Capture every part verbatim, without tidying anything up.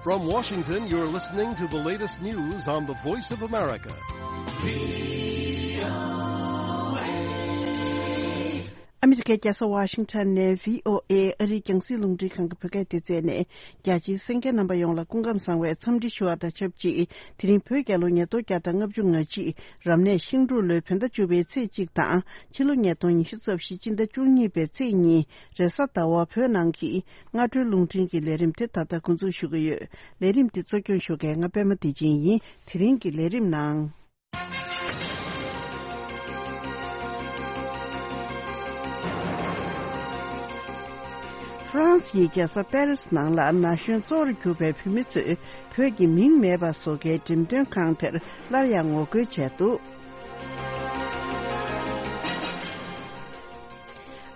From Washington, you're listening to the latest news on the Voice of America. ཨ་མི་རི་ཀའི་རྒྱལ་ས་ཝ་ཤིང་ཊོན་ནས་བྷི་ཨོ་ཨེ་ཨ་རིའི་རྒྱང་སྲིང་རླུང་འཕྲིན་ཁང་གི་བོད་སྐད་སྡེ་ཚན་ནས། རྒྱ་ཆེའི་གསན་མཁན་རྣམ་པ་ཡོངས་ལ་སྐུ་ཁམས་བཟང་བའི་འཚམས་འདྲི་ཞུ་བ་དང་ཆབས་ཅིག་དེ་རིང་བོད་རྒྱལ་ལོ་ཉིས་སྟོང་བརྒྱ་དང་ལྔ་བཅུ་ང་གཅིག་རབ་གནས་ཤིང་འབྲུག་ལོའི་བོད་ཟླ་བཅུ་པའི་ཚེས་གཅིག་དང་། ཕྱི་ལོ་ཉིས་སྟོང་ཉི་ཤུ་རྩ་བཞི་སྤྱི་ཟླ་བཅུ་གཉིས་པའི་ཚེས་གཉིས། རེས་གཟའ་ཟླ་བ་བོད་ནང་གི་སྔ་དྲོའི་རླུང་འཕྲིན་གྱི་ལས་རིམ་དེ་ད་ལྟ་འགོ་འཛུགས་ཞུ་གི་ཡོད། ལས་རིམ་འདི་གཙོ་སྐྱོང་ཞུ་མཁན་ང་པད་མ་བདེ་ཆེན་ཡིན། དེ་རིང་གི་ལས་རིམ་ནང་། ཧྥ་རན་སི་ཡི་རྒྱལ་ས་པེ་རིས་ནང་ལ་ན་གཞོན་གཙོ་བོར་གྱུར་པའི་བུད་མེད་ཚོས་བོད་ཀྱི་མིང་མེད་པ་བཟོ་མཁན་འགྲེམས་སྟོན་ཁང་དེར་སླར་ཡང་ངོ་རྒོལ་བྱས་འདུག་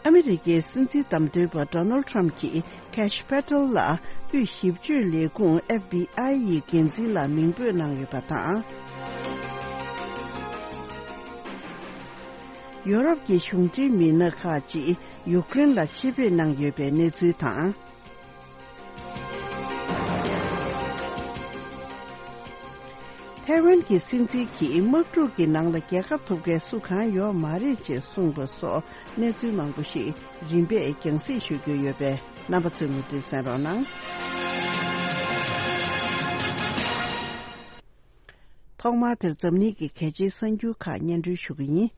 ཨ་མི་རི་ཀའི་སྲིད་འཛིན་བདམས་ཐོན་པ་ཌོ་ནལ་ཊམ་གྱིས་ཁེ་ཤི་པེ་ཏེལ་ལ་དབུས་ཞིབ་དཔྱོད་ལས་ཁུངས་ཨེཕ་བྷི་ཨའི་ཡི་འགན་འཛིན་ལ་མིང་འབོད་གནང་ཡོད་པ་དང་། ཡོ་རོབ་ཀྱི་གཞུང་འབྲེལ་མི་སྣ་ཁག་ཅིག་ཡུཀ་རེན་ལ་ཆེད་ཕེབས་གནང་ཡོད་པའི་གནས་ཚུལ་དང་། ཐའེ་ཝན་གྱི་སྲིད་འཛིན་གྱིས་དམག་འཁྲུག་གི་ནང་ལ་རྒྱལ་ཁ་ཐོབ་མཁན་སུ་གང་ཡོད་མ་རེད་ཅེས་གསུངས་པ་སོགས་གནས་ཚུལ་མང་པོ་ཞིག་རིམ་པས་རྒྱང་སྲིང་ཞུ་རྒྱུ་ཡོད་པས། རྣམ་པ་ཚོས་མུ་མཐུད་གསན་རོགས་གནང་། ཐོག་མར་དེར་འཛམ་གླིང་གི་གལ་ཆེའི་གསར་འགྱུར་ཁག་སྙན་སྒྲོན་ཞུ་གི་ཡིན།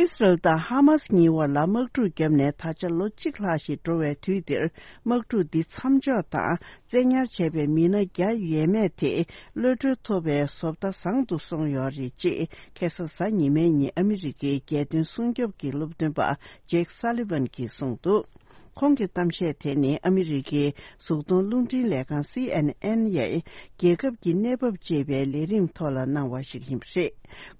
ཨིས་རལ་དང་ཧ་མཱ་སི་གཉིས་བར་ལ་དམག་འཁྲུག་བརྒྱབ་ནས་ད་ཆ་ལོ་གཅིག་ལྷག་ཞིག་འགྲོ་བའི་དུས་འདིར། དམག་འཁྲུག་འདི་མཚམས་འཇོག་དང་བཙན་ཉར་བྱས་པའི་མི་སྣ་བརྒྱ་ཡས་མས་དེ་གློད་གྲོལ་ཐོབ་པའི་བཟོ་ལྟ་བཟང་དུ་སོང་ཡོད་རེད་ཅེས་ཁ་སང་གཟའ་ཉི་མའི་ཉིན་ཨ་མི་རི་ཀའི་རྒྱལ་དོན་སྲུང་སྐྱོབ་ཀྱི་སློབ་སྟོན་པ་ཇེག་སཱ་ལི་ཝན་གྱིས་གསུངས་འདུག་ཁོང་གི་གཏམ་བཤད་དེ་ནི་ཨ་མི་རི་ཀའི་གཟུགས་མཐོང་རླུང་འཕྲིན་ལས་ཁང་སི་ཨེན་ཨེན་ཡའི་རྒྱལ་ཁབ་ཀྱི་གནས་བབ་ཅེས་པའི་ལས་རིམ་ཐོག་ལ་གནང་བ་ཞིག་ཡིན་པ་རེད།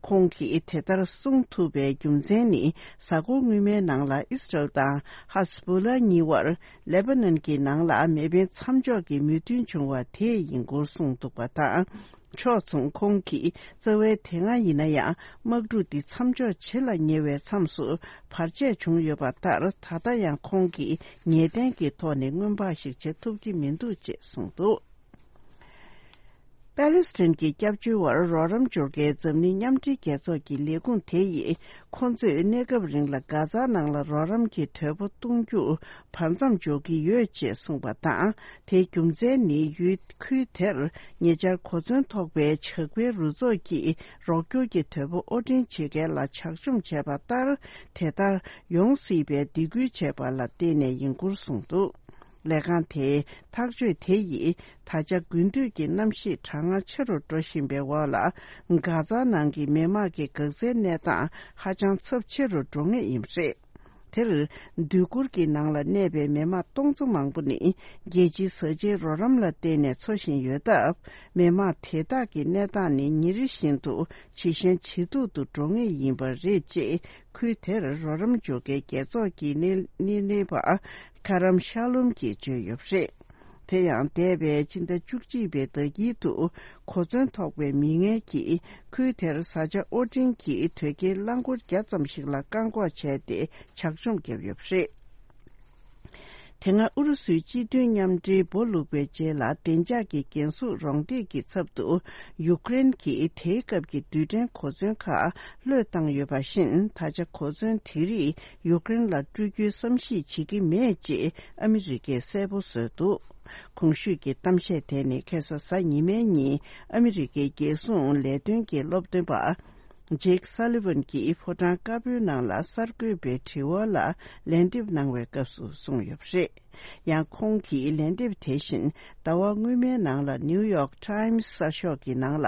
ཁོང་གིས་དེ་ལྟར་གསུངས་ཐུབ་པའི་རྒྱུ་མཚན་ནི། གཟའ་འཁོར་སྔོན་མའི་ནང་ལ་ཨིས་རལ་དང་ཧ་སི་བྷོ་ལ་གཉིས་བར་ལེ་པ་ནན་གྱི་ནང་ལ་མེ་འཕེན་མཚམས་འཇོག་གི་མོས་མཐུན་བྱུང་བ་དེ་ཡིན་སྐོར་གསུངས་འདུག་པ་དང་། ཕྱོགས་མཚུངས་ཁོང་གིས་རྩ་བའི་དེ་སྔ་ཡིན་ན་ཡང་དམག་འཁྲུག་འདི་མཚམས་འཇོག་བྱེད་ལ་ཉེ་བའི་མཚམས་སུ་བར་ཆད་བྱུང་ཡོད་པ་ལྟར། ད་ལྟ་ཡང་ཁོང་གིས་ངེས་གཏན་གྱི་ཐོག་ནས་སྔོན་དཔག་ཞིག་བྱེད་ཐུབ་ཀྱི་མི་འདུག་ཅེས་གསུངས་འདུག་པེ་ལེ་སི་ཐན་གྱི་སྐྱབས་བཅོལ་བར་རོགས་རམ་འབྱོར་མཁན་འཛམ་གླིང་མཉམ་འབྲེལ་རྒྱལ་ཚོགས་ཀྱི་ལས་ཁུངས་དེ་ཡིས། ཁོ་ཚོས་གནས་སྐབས་རིང་ལ་གྷ་ཛ་ནང་ལ་རོགས་རམ་གྱི་དོས་པོ་གཏོང་རྒྱུ་བར་མཚམས་འཇོག་གི་ཡོད་ཅེས་གསུངས་པ་དང་། དེའི་རྒྱུ་མཚན་ནི་ཡུལ་ཁུལ་དེར་ཉེ་ཆར་གོ་མཚོན་ཐོགས་པའི་ཇག་པའི་རུ་ཚོགས་ཀྱིས་རོགས་སྐྱོར་གྱི་དོས་པོ་དབོར་འདྲེན་བྱེད་མཁན་ལ་ཇག་བཅོམ་བྱས་པ་ལྟར། དེ་ལྟར་ཡོང་སྲིད་པའི་སྡིགས་སྐུལ་བྱས་པ་ལ་བརྟེན་ནས་ཡིན་སྐོར་གསུངས་འདུག་ལས་ཁང་དེའི་ཐག་གཅོད་དེ་ཡིས་ད་ཆ་དགུན་དུས་ཀྱི་གནམ་གཤིས་གྲང་ངར་ཆེ་རུ་འགྲོ་བཞིན་པའི་འོག་ལ། གྷ་ཛ་ནང་གི་མི་དམངས་ཀྱི་འགག་རྩའི་གནས་སྟངས་ཧ་ཅང་ཚབས་ཆེ་རུ་འགྲོ་ངེས་ཡིན་པ་རེད། དེར་སྡོད་གུར་གྱི་ནང་ལ་གནས་པའི་མི་དམངས་སྟོང་ཚོ་མང་པོ་ནི་རྒྱལ་སྤྱིའི་བཟའ་བཅའི་རོགས་རམ་ལ་བརྟེན་ནས་འཚོ་བཞིན་ཡོད་སྟབས། མི་དམངས་དེ་དག་གི་གནས་སྟངས་ནི་ཉིན་རེ་བཞིན་དུ་ཇེ་ཞན་ཇེ་སྡུག་ཏུ་འགྲོ་ངེས་ཡིན་པ་རེད་ཅེས། ཁུལ་དེར་རོགས་རམ་འཇོག་མཁན་རྒྱལ་ཚོགས་ཀྱི་སྣེ་སྣེ་ལེན་པ་ཁ་རམ་ཤ་ལོམ་གྱིས་བརྗོད་ཡོད་པ་རེད། དེ་ཡང་འདས་པའི་ཕྱི་ཟླ་བཅུ་གཅིག་པའི་ཟླ་དཀྱིལ་དུ་གོ་མཚོན་ཐོགས་པའི་མི་ངན་གྱིས་ཁུལ་དེར་བཟའ་བཅའ་དབོར་འདྲེན་གྱི་དོས་སྐྱེལ་རླངས་འཁོར་བརྒྱ་ཙམ་ཞིག་ལ་བཀག་འགོག་བྱས་ཏེ་ཇག་བཅོམ་བརྒྱབ་ཡོད་པ་རེད། དེ་སྔ་ཨུ་རུ་སུའི་སྤྱི་མཐུན་མཉམ་འབྲེལ་འབོ་ལུག་པའི་རྗེས་ལ་བདེ་འཇགས་ཀྱི་འགན་སྲུང་རོགས་འདེགས་ཀྱི་ཚབ་ཏུ་ཡུཀ་རེན་གྱིས་དེའི་སྐབས་ཀྱི་རྡུལ་ཕྲན་གོ་མཚོན་ཁག་བློས་བཏང་ཡོད་པ་བཞིན། ད་ཆ་གོ་མཚོན་དེ་རིགས་ཡུཀ་རེན་ལ་སྤྲོད་རྒྱུའི་བསམ་གཞིག་བྱེད་ཀྱི་མེད་ཅེས་ཨ་མི་རི་ཀས་གསལ་པོ་བཟོས་འདུག་གོང་ཞུས་ཀྱི་གཏམ་བཤད་དེ་ནི་ཁ་སང་གཟའ་ཉི་མའི་ཉིན་ཨ་མི་རི་ཀའི་རྒྱལ་སྲུང་ལས་དོན་གྱི་སློབ་སྟོན་པ་ཇེག་སཱ་ལི་ཝན་གྱིས་ཕོ་བྲང་དཀར་པོའི་ནང་ལ་གསར་འགོད་པའི་དྲི་བ་ལ་ལན་འདེབས་གནང་བའི་སྐབས་སུ་གསུངས་ཡོད་པ་རེད། ཡང་ཁོང་གིས་ལན་འདེབས་དེ་བཞིན་ཟླ་བ་སྔོན་མའི་ནང་ལ་ནིའུ་ཡོག་ཊའིམ་སི་གསར་ཤོག་གི་ནང་ལ།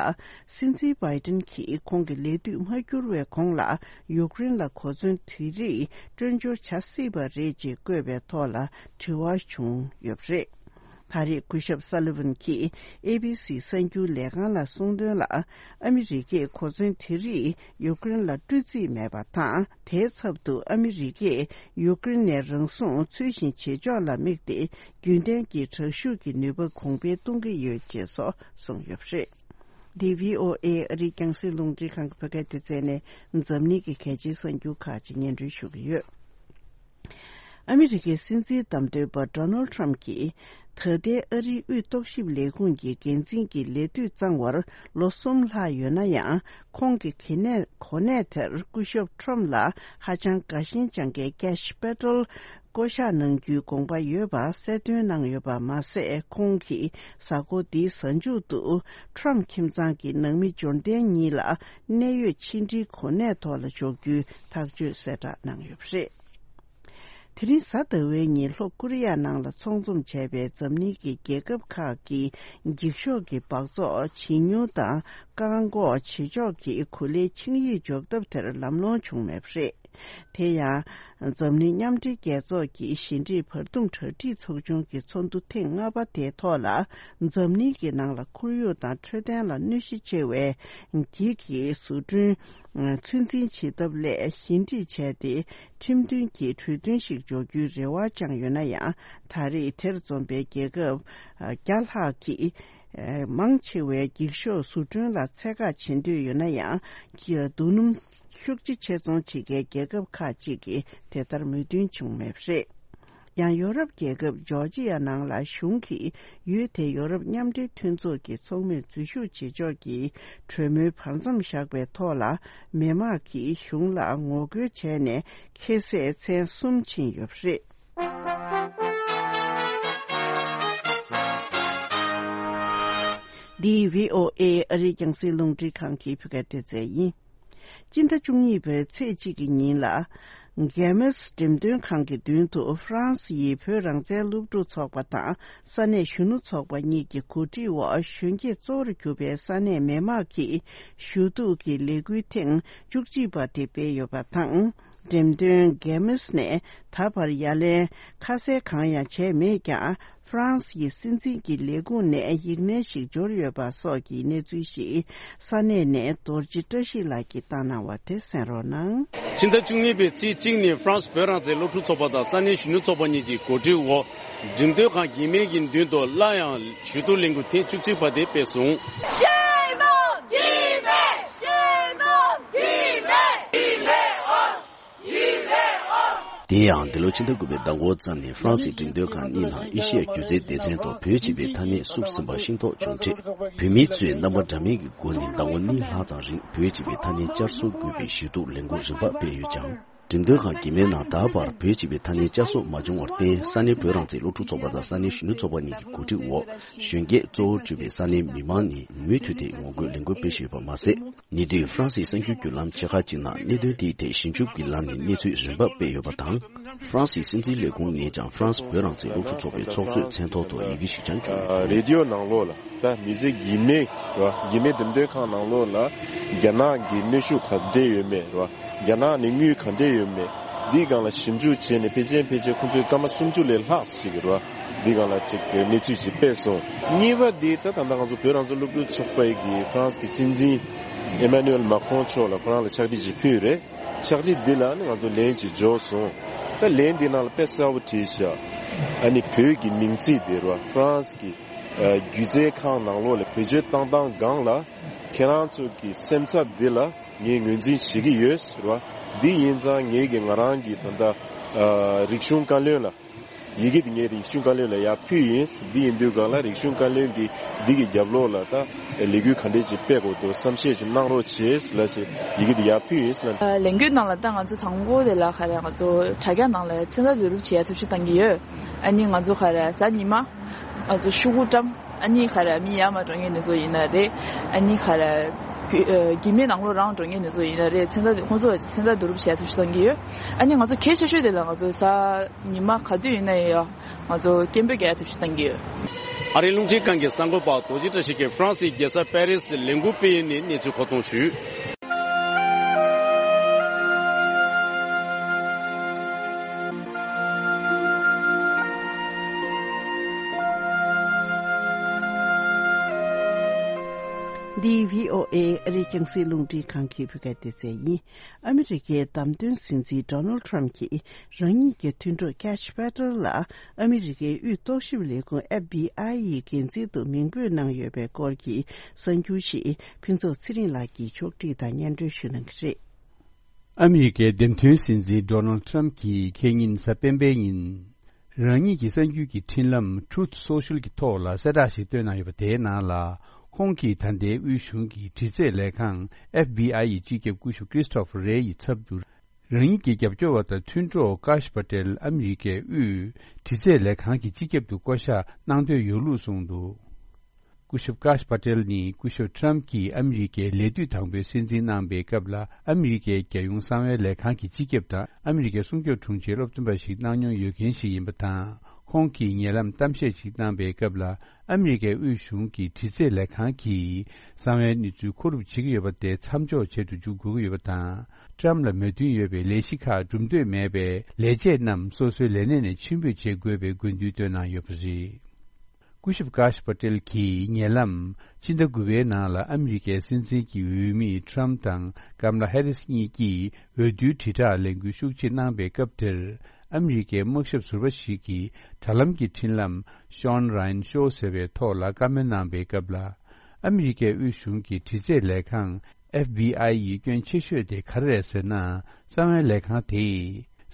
སྲིད་འཛིན་བྷའི་ཏིན་གྱིས་ཁོང་གི་ལས་དུས་མ་འགྱུར་བའི་གོང་ལ་ཡུཀ་རེན་ལ་གོ་མཚོན་དེ་རིགས་སྤྲོད་འབྱོར་བྱ་སྲིད་པ་རེད་ཅེས་བཀོད་པའི་ཐོག་ལ་དྲི་བ་བྱུང་ཡོད་པ་རེད། ད་རེས་སྐུ་ཞབས་སཱ་ལི་ཝན་གྱིས་ཨེ་བྷི་སི་གསར་འགྱུར་ལས་ཁང་ལ་གསུངས་དོན་ལ། ཨ་མི་རི་ཀས་གོ་མཚོན་དེ་རིགས་ཡུཀ་རེན་ལ་སྤྲོད་རྩིས་མེད་པ་དང་། དེའི་ཚབ་ཏུ་ཨ་མི་རི་ཀས་ཡུཀ་རེན་ནས་རང་སྲུང་ཚུལ་བཞིན་བྱེད་ཕྱོགས་ལ་དམིགས་ཏེ། རྒྱུན་ལྡན་གྱི་དྲག་ཤུགས་ཀྱི་ནུས་པ་གོང་འཕེལ་གཏོང་གི་ཡོད་ཅེས་སོགས་གསུངས་ཡོད་པ་རེད། འདི་བྷི་ཨོ་ཨེ་ཨ་རིའི་རྒྱང་སྲིང་རླུང་འཕྲིན་ཁང་གི་བོད་སྐད་སྡེ་ཚན་ནས་འཛམ་གླིང་གི་གལ་ཆེའི་གསར་འགྱུར་ཁག་ཅིག་སྙན་སྒྲོན་ཞུ་གི་ཡོད། ཨ་མི་རི་ཀའི་སྲིད་འཛིན་བདམས་ཐོན་པ་Donald Trump་གྱིས། ད་ལྟའི་ཨ་རིའི་དབུས་རྟོག་ཞིབ་ལས་ཁུངས་ཀྱི་འགན་འཛིན་གྱི་ལས་དུས་གཙང་བར་ལོ་གསུམ་ལྷག་ཡོད་ན་ཡང་། ཁོང་གི་གོ་གནས་གོ་གནས་དེར་སྐུ་ཞབས་Trump་ལ་ཧ་ཅང་དགའ་ཞེན་བཅངས་མཁན་Kash Patel་བསྐོ་གཞག་གནང་རྒྱུའི་དགོངས་པ་ཡོད་པ་གསལ་སྟོན་གནང་ཡོད་པ་མ་ཟད། ཁོང་གིས་གཟའ་འཁོར་འདིའི་གཟའ་མཇུག་ཏུ་Trump་ཁྱིམ་ཚང་གི་ནང་མི་འབྱོར་ལྡན་གཉིས་ལ་གནད་ཡོད་ཕྱི་འབྲེལ་གོ་གནས་ཐོག་ལ་འཇོག་རྒྱུའི་ཐག་གཅོད་གསལ་བསྒྲགས་གནང་ཡོད་པ་རེད། དེ་རིང་གཟའ་ཟླ་བའི་ཉིན་ལྷོ་ཀོ་རི་ཡ་ནང་ལ་ཚོགས་འཛོམས་བྱས་པའི་འཛམ་གླིང་གི་རྒྱལ་ཁབ་ཁག་གི་འགྱིག་ཤོག་གི་སྦགས་བཙོག་བྱེ་ཉུང་དང་བཀག་འགོག་བྱེད་ཕྱོགས་ཀྱི་གོ་ལའི་ཆིངས་ཡིག་འཇོག་ཐབས་དེར་ལམ་ལྷོང་བྱུང་མེད་པ་རེད། དེ་ཡང་། འཛམ་གླིང་མཉམ་འབྲེལ་རྒྱལ་ཚོགས་ཀྱི་ཞི་འགྲིག་བར་འདུམ་གྲ་སྒྲིག་ཚོགས་ཆུང་གི་ཚོགས་འདུ་ཐེངས་ལྔ་པ་དེའི་ཐོག་ལ། འཛམ་གླིང་གི་ནང་ལ་ཁོར་ཡུག་དང་འཕྲོད་བསྟེན་ལ་གནོད་གཞི་ཆེ་བའི་འགྱིག་གི་བཟོ་སྐྲུན། ཚོད་འཛིན་བྱེད་ཐབས་སླད་ཞི་འགྲིག་བྱས་ཏེ། ཁྲིམས་མཐུན་གྱི་གྲོས་མཐུན་ཞིག་འཇོག་རྒྱུའི་རེ་བ་བཅངས་ཡོད་ན་ཡང་། ད་རེས་དེར་འཛོམས་པའི་རྒྱལ་ཁབ་བརྒྱ་ལྷག་གིས། མང་ཆེ་བས་འགྱིག་ཤོག་བཟོ་སྐྲུན་ལ་ཚད་བཀག་བྱེད་འདོད་ཡོད་ན་ཡང་། རྡོ་སྣུམ་ཤུགས་ཆེ་ཕྱིར་ཚོང་བྱེད་མཁན་རྒྱལ་ཁབ་ཁག་ཅིག་གིས་དེ་ལྟར་མོས་མཐུན་བྱུང་མེད་པ་རེད། ཡང་ཡོ་རོབ་རྒྱལ་ཁབ་ཇོར་ཇི་ཡ་ནང་ལ་གཞུང་གིས་ཡུལ་དེའི་ཡོ་རོབ་མཉམ་འབྲེལ་མཐུན་ཚོགས་ཀྱི་ཚོགས་མིར་འཛུལ་ཞུགས་བྱེད་ཕྱོགས་ཀྱི་གྲོས་མོལ་བར་མཚམས་བཞག་པའི་ཐོག་ལ། མི་མང་གིས་གཞུང་ལ་ངོ་རྒོལ་བྱས་ནས་ཁེ་ཟས་ཚན་གསུམ་ཕྱིན་ཡོད་པ་རེད། འདི་བྷི་ཨོ་ཨེ་ཨ་རིའི་རྒྱང་སྲིང་རླུང་འཕྲིན་ཁང་གི་བོད་སྐད་སྡེ་ཚན་ཡིན། སྤྱི་ཟླ་བཅུ་གཉིས་པའི་ཚེས་གཅིག་གི་ཉིན་ལ། གྷེ་མེས་འགྲེམས་སྟོན་ཁང་གི་མདུན་དུ་ཧྥ་རན་སི་ཡི་བོད་རང་བཙན་སློབ་ཕྲུག་ཚོགས་པ་དང་ས་གནས་གཞོན་ནུ་ཚོགས་པ་གཉིས་ཀྱི་གོ་སྒྲིག་འོག་གཞོན་སྐྱེས་གཙོ་བོར་གྱུར་པའི་ས་གནས་མི་མང་གིས་ཞུ་གཏུག་གི་ལས་འགུལ་ཐེངས་བཅུ་གཅིག་པ་དེ་སྤེལ་ཡོད་པ་དང་། འགྲེམས་སྟོན་གྷེ་མེས་ནས་ད་བར་ཡ་ལན་ཁ་གསལ་གང་ཡང་བྱས་མེད་ཀྱང་། ཧྥ་རན་སི་ཡི་སྲིད་འཛིན་གྱི་ལས་ཁུངས་ནས་ཡིག་སྣེ་ཞིག་འབྱོར་ཡོད་པ་སོགས་ཀྱི་གནས་ཚུལ་ཞིག་ས་གནས་ནས་རྡོ་རྗེ་བཀྲ་ཤིས་ལགས་ཀྱིས་བཏང་གནང་བ་དེ་གསན་རོགས་གནང་། ཕྱི་ཟླ་བཅུ་གཉིས་པའི་ཚེས་གཅིག་ཉིན་ཧྥ་རན་སི་བོད་རང་བཙན་སློབ་ཕྲུག་ཚོགས་པ་དང་ས་གནས་གཞོན་ནུ་ཚོགས་པ་གཉིས་ཀྱི་གོ་སྒྲིག་འོག་འགྲེམས་སྟོན་ཁང་གྷེ་མེས་ཀྱི་མདུན་དུ་སླར་ཡང་ཞུ་གཏུག་ལས་འགུལ་ཐེངས་བཅུ་གཅིག་པ་དེ་སྤེལ་སོང་། Shame on Tibet! Shame on Tibet! Tibet on! དེ་ཡང་འདི་ལོ་ཕྱི་ཟླ་དགུ་པའི་ཟླ་འགོ་ཙམ་ནས་ཧྥ་རན་སིའི་འགྲེམས་སྟོན་ཁང་གཉིས་ནང་ཨེ་ཤི་ཡ་སྒྱུ་རྩལ་སྡེ་ཚན་ཐོག་བོད་ཅེས་པའི་ཐ་སྙད་བསུབ་ཟིན་པ་ཤེས་རྟོགས་བྱུང་འཕྲལ། བོད་མི་ཚོས་རྣམ་པ་འདྲ་མིན་གྱི་སྒོ་ནས་ཟླ་ངོ་གཉིས་ལྷག་ཙམ་རིང་བོད་ཅེས་པའི་ཐ་སྙད་བསྐྱར་གསོ་དགོས་པའི་ཞུ་གཏུག་ལས་འགུལ་རིམ་པ་སྤེལ་ཡོད་ཀྱང་། འགྲེམས་སྟོན་ཁང་གི་མའི་ནང་ད་བར་བོད་ཅེས་པའི་ཐ་སྙད་བསྐྱར་གསོ་མ་བྱུང་བར་བརྟེན། ས་གནས་བོད་རང་བཙན་སློབ་ཕྲུག་ཚོགས་པ་དང་ས་གནས་གཞོན་ནུ་ཚོགས་པ་གཉིས་ཀྱི་གོ་སྒྲིག་འོག་གཞོན་སྐྱེས་གཙོ་བོར་གྱུར་པའི་ས་གནས་མི་མང་ནས་མུ་མཐུད་དེ་ངོ་རྒོལ་ལས་འགུལ་སྤེལ་བཞིན་ཡོད་པ་མ་ཟད། ཉེ་དུས་ཧྥ་རན་སིའི་གསར་འགྱུར་བརྒྱུད་ལམ་ཆེ་ཁག་ཅིག་ནང་གནད་དོན་དེའི་ཐད་ཞིབ་འཇུག་གི་ལམ་ནས་གནས་ཚུལ་རིམ་པ་སྤེལ་ཡོད་པ་དང་། ཧྥ་རན་སིའི་སྲིད་འཛིན་ལས་ཁུངས་ནས་ཀྱང་ཧྥ་རན་སི་བོད་རང་བཙན་སློབ་ཕྲུག་ཚོགས་པའི་ཚོགས་གཙོའི་མཚན་ཐོག་ཏུ་ཡི་གེ་ཞིག་ཀྱང་བསྐྱོན་ཡོད། རེ་ཌི་ཡོ་ནང་ལོགས་ལ་ད་མི་ཚེ་གི་མེ་ར་གི་མེ་འགྲེམས་སྟོན་ཁང་ནང་ལོགས་ལ་རྒྱ་ནག་གི་གནོན་ཤུགས་ག་འདྲས་ཡོད་མེད་ར་རྒྱ་ནག་ནས་དངུལ་ག་འདྲས་ཡོད་མེད་འདིའི་སྒང་ལ་ཞིབ་འཇུག་བྱས་ནས་ཕལ་ཆེར་ཕལ་ཆེར་ཁོང་ཚོས་སྐར་མ་སུམ་ཅུ་ལས་ལྷག་ཞིག་ར་འདིའི་སྒང་ལ་ཅིག་གནས་ཚུལ་ཞིག་སྤེལ་སོང་། གཉིས་པ་འདི་ད་ད་ལྟ་ང་ཚོ་བོད་རང་བཙན་སློབ་ཕྲུག་ཚོགས་པའི་གི་ཧྥ་རན་སི་གི་སྲིད་འཛིན་ཨེ་མ་ནུ་ཨེལ་མཱ་ཁོང་མཆོག་ལ་ཁོ་རང་ལ་ཕྱག་བྲིས་ཅིག་ཕུལ་རེད། ཕྱག་བྲིས་འདི་ལ་ནི་ང་ཚོ་ལན་ཅིག་འབྱོར་སོང་། ད་ལན་འདི་ནང་ལ་དཔེ་གསལ་པོ་བྲིས་ཤག་ཨ་ནི་བོད་ཀྱི་མིང་ཚིག་འདི་ར་ཧྥ་རན་སི་གི་སྒྱུ་རྩལ་ཁང་ནང་ལོགས་ལ་བེད་སྤྱོད་བཏང་སྟངས་སྒང་ལ་ཁྱེད་རང་ཚོ་གི་སེམས་འཚབ་འདི་ལ་ངས་ངོས་འཛིན་བྱེད་ཀྱི་ཡོད་ཟེར་བ། འདི་ཡིན་ཙང་ངས་ཀྱི་ང་རང་གི་ད་ལྟ་རིག་གཞུང་བཀའ་བློན་ལ། ཡི་གེ་འདི་ངས་རིག་གཞུང་བཀའ་བློན་ལ་ཡར་ཕུལ་ཡིན། འདི་ཡིན་དུས་སྒང་ལ་རིག་གཞུང་བཀའ་བློན་གྱིས་འདི་གི་རྒྱབ་ལོགས་ལ་ད་ལས་འགུལ་ག་འདྲས་ཅིག་སྤེལ་དགོས་འདུག་བསམ་ཤེས་ཅིག་གནང་རོགས་བྱེད་ཟེར་ལབ་བྱས་ཡི་གེ་འདི་ཡར་ཕུལ་ཡིན་ཟེར་ལབ། ལས་འགུལ་ནང་ལ་ད་ང་ཚོ་དང་པོ་དེ་ལ་ག་རེ་ང་ཚོ་དྲ་རྒྱ་ནང་ལ་མཚན་རྟགས་བསྡུ་རུབ་བྱེད་ཡ་ཐབས་ཤེས་བཏང་གི་ཡོད། ཨ་ནི་ང་ཚོ་ག་རེ་གཟའ་ཉི་མ་ང་ཚོ་ཤོག་གུ་བཀྲམ། ཨ་ནི་ག་རེ་མི་ཡར་མར་འགྲོ་མཁན་དེ་ཚོ་ཡིན་ན་རེད། ཨ་ནི་ག་རེ་གི་མེ་ནང་ལོགས་རང་འགྲོ་མཁན་དེ་ཚོ་ཡིན་ན་རེད། མཚན་རྟགས་ཁོང་ཚོ་མཚན་རྟགས་བསྡུ་རུབ་བྱེད་ཡ་ཐབས་ཤེས་བཏང་གི་ཡོད། ཨ་ནི་ང་ཚོ་གལ་ཆེ་ཤོས་དེ་ལ་ང་ཚོ་གཟའ་ཉི་མ་ག་དུས་ཡིན་ན་ཡང་ང་ཚོ་སྐད་འབོད་རྒྱག་ཡ་ཐབས་ཤེས་བཏང་གི་ཡོད། ཨ་རིའི་རླུང་འཕྲིན་ཁང་གི་གསར་འགོད་པ་རྡོ་རྗེ་བཀྲ་ཤིས་ཀྱིས་ཧྥ་རན་སིའི་རྒྱལ་ས་པེ་རི་སི་ལས་འགུལ་སྤེལ་ཡུལ་ནས་གནས་ཚུལ་མཁོ་གཏོང་ཞུས། འདི་བྷི་ཨོ་ཨེ་ཨ་རིའི་རྒྱང་སྲིང་རླུང་འཕྲིན་ཁང་གི་བོད་སྐད་སྡེ་ཚན་ཡིན། ཨ་མི་རི་ཀའི་བདམས་ཐོན་སྲིད་འཛིན་Donald Trump་གྱིས་རང་ཉིད་ཀྱི་མཐུན་གྲོགས་Kash Patel་ལ་ཨ་མི་རི་ཀའི་དབུས་རྟོག་ཞིབ་ལས་ཁུངས་F B I་ཡི་འགན་འཛིན་དུ་མིང་འབོད་གནང་ཡོད་པའི་སྐོར་གྱི་གསར་འགྱུར་ཞིག་ཕུན་ཚོགས་ཚེ་རིང་ལགས་ཀྱིས་ཕྱོགས་སྒྲིག་དང་སྙན་སྒྲོན་ཞུ་གནང་གི་རེད། ཨ་མི་རི་ཀའི་འདེམས་ཐོན་སྲིད་འཛིན་ཌོ་ནལ་ཊམ་གྱིས་ཁེ་ཉིན་གཟའ་སྤེན་པའི་ཉིན། རང་ཉིད་ཀྱི་གསར་འགྱུར་གྱི་འཕྲིན་ལམ་Truth Social གྱི་ཐོག་ལ་གསལ་བསྒྲགས་ཤིག་བཏོན་གནང་ཡོད་པ་དེའི་ནང་ལ། ཁོང་གིས་ད་ལྟའི་དབུས་གཞུང་གི་དྲི་རྩད་ལས་ཁང་FBI ཡི་སྤྱི་ཁྱབ་སྐུ་ཞབས་Christopher Wray ཡི་ཚབ་ཏུ། རང་ཉིད་ཀྱི་རྒྱབ་སྐྱོར་བ་དང་མཐུན་གྲོགས་ཀཱཤ་པ་ཏེལ་ཨ་མི་རི་ཀའི་དབུས་དྲི་རྩད་ལས་ཁང་གི་སྤྱི་ཁྱབ་ཏུ་བསྐོ་གཞག་གནང་འདོད་ཡོད་ལུགས་གསུངས་འདུག་སྐུ་ཞབས་ཀཱཤ་པ་ཏེལ་ནི་སྐུ་ཞབས་ཊམ་གྱིས་ཨ་མི་རི་ཀའི་ལས་དུས་དང་པོའི་སྲིད་འཛིན་གནང་པའི་སྐབས་ལ། ཨ་མི་རི་ཀའི་རྒྱལ་ཡོངས་གསང་བའི་ལས་ཁང་གི་སྤྱི་ཁྱབ་དང་། ཨ་མི་རི་ཀའི་སྲུང་སྐྱོབ་དྲུང་ཆེའི་སློབ་སྟོན་པ་ཞིག་གནང་མྱོང་ཡོད་མཁན་ཞིག་ཡིན་པ་དང་། ཁོང་གིས་ཉེ་ལམ་གཏམ་བཤད་ཅིག་གནང་པའི་སྐབས་ལ། ཨ་མི་རི་ཀའི་དབུས་གཞུང་གི་དྲི་རྩད་ལས་ཁང་གིས་གསང་བའི་གནས་ཚུལ་མཁོ་སྒྲུབ་བྱེད་ཀྱི་ཡོད་པ་དེ་མཚམས་འཇོག་བྱེད་དུ་འཇུག་དགོས་ཀྱི་ཡོད་པ་དང་། ཊམ་ལ་མོས་མཐུན་ཡོད་པའི་ལས་གཞི་ཁག་སྒྲུབ་འདོད་མེད་པས། ལས་བྱེད་རྣམས་སོ་སོའི་ལས་གནས་ནས་ཕྱིར་འབུད་བྱེད་དགོས་པའི་དགོས་འདུན་བཏོན་གནང་ཡོད་པ་རེད། སྐུ་ཞབས་ཀཱཤ་པ་ཏེལ་གྱིས་ཉེ་ལམ་ཕྱི་ཟླ་དགུ་པའི་ནང་ལ་ཨ་མི་རི་ཀའི་སྲིད་འཛིན་གྱི་འོས་མི་ཊམ་དང་ཀམ་ལ་ཧེ་རིས་གཉིས་ཀྱིས་འོས་བསྡུའི་དྲིལ་བསྒྲགས་ལས་འགུལ་ཤུགས་ཆེ་གནང་པའི་སྐབས་དེར། ཨ་མི་རི་ཀའི་དམག་ཞབས་ཟུར་པ་ཞིག་གིས་དྲ་ལམ་གྱི་འཕྲིན་ལམ་Sean Ryan Show ཟེར་བའི་ཐོག་ལ་བཀའ་མོལ་གནང་པའི་སྐབས་ལ། ཨ་མི་རི་ཀའི་དབུས་གཞུང་གི་དྲི་རྩད་ལས་ཁང་FBI ཡི་སྐྱོན་ཆེ་ཤོས་དེ་ག་རེ་རེད་ཟེར་ན། གསང་བའི་ལས་ཁང་དེས་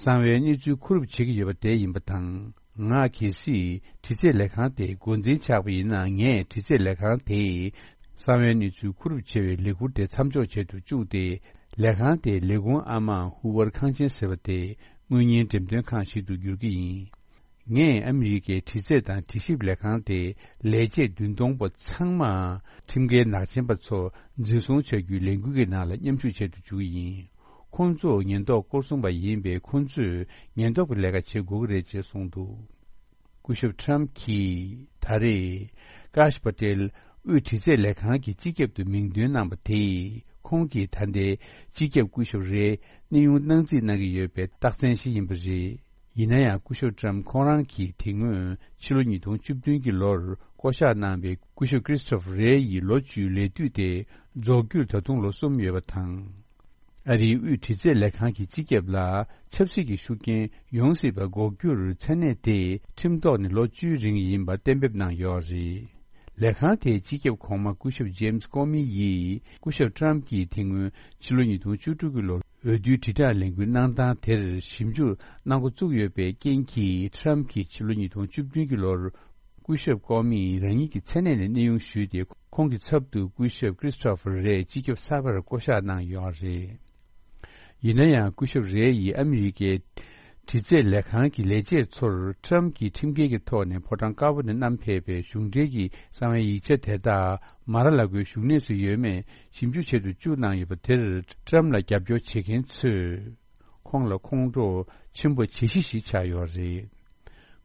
གསང་བའི་གནས་ཚུལ་མཁོ་སྒྲུབ་བྱེད་ཀྱི་ཡོད་པ་དེ་ཡིན་པ་དང་། ང་གལ་སྲིད་དྲི་རྩད་ལས་ཁང་དེའི་འགོ་འཛིན་ཆགས་པ་ཡིན་ན། ངས་དྲི་རྩད་ལས་ཁང་དེས་གསང་བའི་གནས་ཚུལ་མཁོ་སྒྲུབ་བྱེད་པའི་ལས་ཁུར་དེ་མཚམས་འཇོག་བྱེད་དུ་བཅུག་སྟེ། ལས་ཁང་དེའི་ལས་ཁུངས་ཨ་མ་ཧུ་ཝར་ཁང་ཆེན་ཟེར་བ་དེ་དངུལ་གཉེར་འགྲེམས་སྟོན་ཁང་ཞིག་ཏུ་བསྒྱུར་གྱི་ཡིན། ངས་ཨ་མི་རི་ཀའི་དྲི་རྩད་དང་དྲི་ཞིབ་ལས་ཁང་དེའི་ལས་བྱེད་བདུན་སྟོང་པོ་ཚང་མ་ཁྲིམས་འགལ་ནག་ཅན་པ་ཚོ་འཛིན་བཟུང་བྱ་རྒྱུའི་ལས་འགུལ་གྱི་ནང་ལ་མཉམ་ཞུགས་བྱེད་དུ་འཇུག་གི་ཡིན། ཁོང་ཚོ་ཉེན་རྟོག་སྐོར་སྲུང་པ་ཡིན་པས། ཁོང་ཚོས་ཉེན་རྟོག་གི་ལས་ཀ་བྱེད་དགོས་ཀྱི་རེད་ཅེས་གསུངས་འདུག་སྐུ་ཞབས་ཊམ་གྱིས་ད་རེས་ཀཱཤ་པ་ཏེལ་དབུས་དྲི་རྩད་ལས་ཁང་གི་སྤྱི་ཁྱབ་ཏུ་མིང་འདོན་གནང་པ་དེས། ཁོང་གིས་ད་ལྟའི་སྤྱི་ཁྱབ་སྐུ་ཞབས་རེའི་གནས་དབྱུང་གནང་རྩིས་གནང་གི་ཡོད་པའི་རྟགས་མཚན་ཞིག་ཡིན་པ་རེད། ཡིན་ན་ཡང་། སྐུ་ཞབས་ཊམ་ཁོང་རང་གིས་དེ་སྔོན་ཕྱི་ལོ་ཉིས་སྟོང་བཅུ་བདུན་གྱི་ལོར་བསྐོ་གཞག་གནང་པའི་སྐུ་ཞབས་ཀྲིས་ཊོ་ཕར་རེ་ཡི་ལོ་བཅུའི་ལས་དུས་དེ་རྫོགས་རྒྱུར་ད་དུང་ལོ་གསུམ་ཡོད་པ་དང་། ཨ་རིའི་དབུས་དྲི་རྩད་ལས་ཁང་གི་སྤྱི་ཁྱབ་ལ་ཆབ་སྲིད་ཀྱི་ཤུགས་རྐྱེན་ཡོང་སྲིད་པ་འགོག་རྒྱུར་མཚན་གནས་དེ་ཁྲིམས་ཐོག་ནས་ལོ་བཅུའི་རིང་ཡིན་པ་གཏན་འབེབས་གནང་ཡོད་རེད། ལས་ཁང་དེའི་སྤྱི་ཁྱབ་གོང་མ་སྐུ་ཞབས་ཇེམ་སི་ཀོ་མི་ཡིས། སྐུ་ཞབས་ཊམ་གྱིས་དེ་སྔོན་ཕྱི་ལོ་ཉིས་སྟོང་བཅུ་དྲུག་གི་ལོར་འོས་བསྡུའི་དྲིལ་བསྒྲགས་ལས་འགུལ་གནང་སྟངས་དེར་ཞིབ་འཇུག་གནང་འགོ་བཙུགས་ཡོད་པའི་རྐྱེན་གྱིས། ཊམ་གྱིས་ཕྱི་ལོ་ཉིས་སྟོང་བཅུ་བདུན་གྱི་ལོར་སྐུ་ཞབས་ཀོ་མིས་རང་ཉིད་ཀྱི་མཚན་གནས་ནས་གནས་དབྱུང་ཞུས་ཏེ། ཁོང་གི་ཚབ་ཏུ་སྐུ་ཞབས་ཀྲིས་ཊོ་ཕར་རེ་སྤྱི་ཁྱབ་གསར་པར་བསྐོ་གཞག་གནང་ཡོད་རེད། ཡིན་ན་ཡང་། སྐུ་ཞབས་རེ་ཡིས་ཨ་མི་རི་ཀའི་དྲི་རྩད་ལས་ཁང་གི་ལས་བྱེད་ཚོར་ཊམ་གྱིས་ཁྲིམས་འགལ་གྱི་ཐོག་ནས་ཕོ་བྲང་དཀར་པོ་ནས་བསྣམས་ཕེབས་པའི་གཞུང་འབྲེལ་གྱི་གསང་བའི་ཡིག་ཆ་དེ་དག་མ་ར་ལ་གོའི་བཞུགས་གནས་སུ་ཡོད་མེད་ཞིབ་འཇུག་བྱེད་དུ་བཅུག་གནང་ཡོད་པ་དེར། ཊམ་ལ་རྒྱབ་སྐྱོར་བྱེད་མཁན་ཚོས་ཁོང་ལ་ཁོང་ཁྲོ་ཆེན་པོ་བྱེད་གཞི་ཞིག་ཆགས་ཡོད་རེད།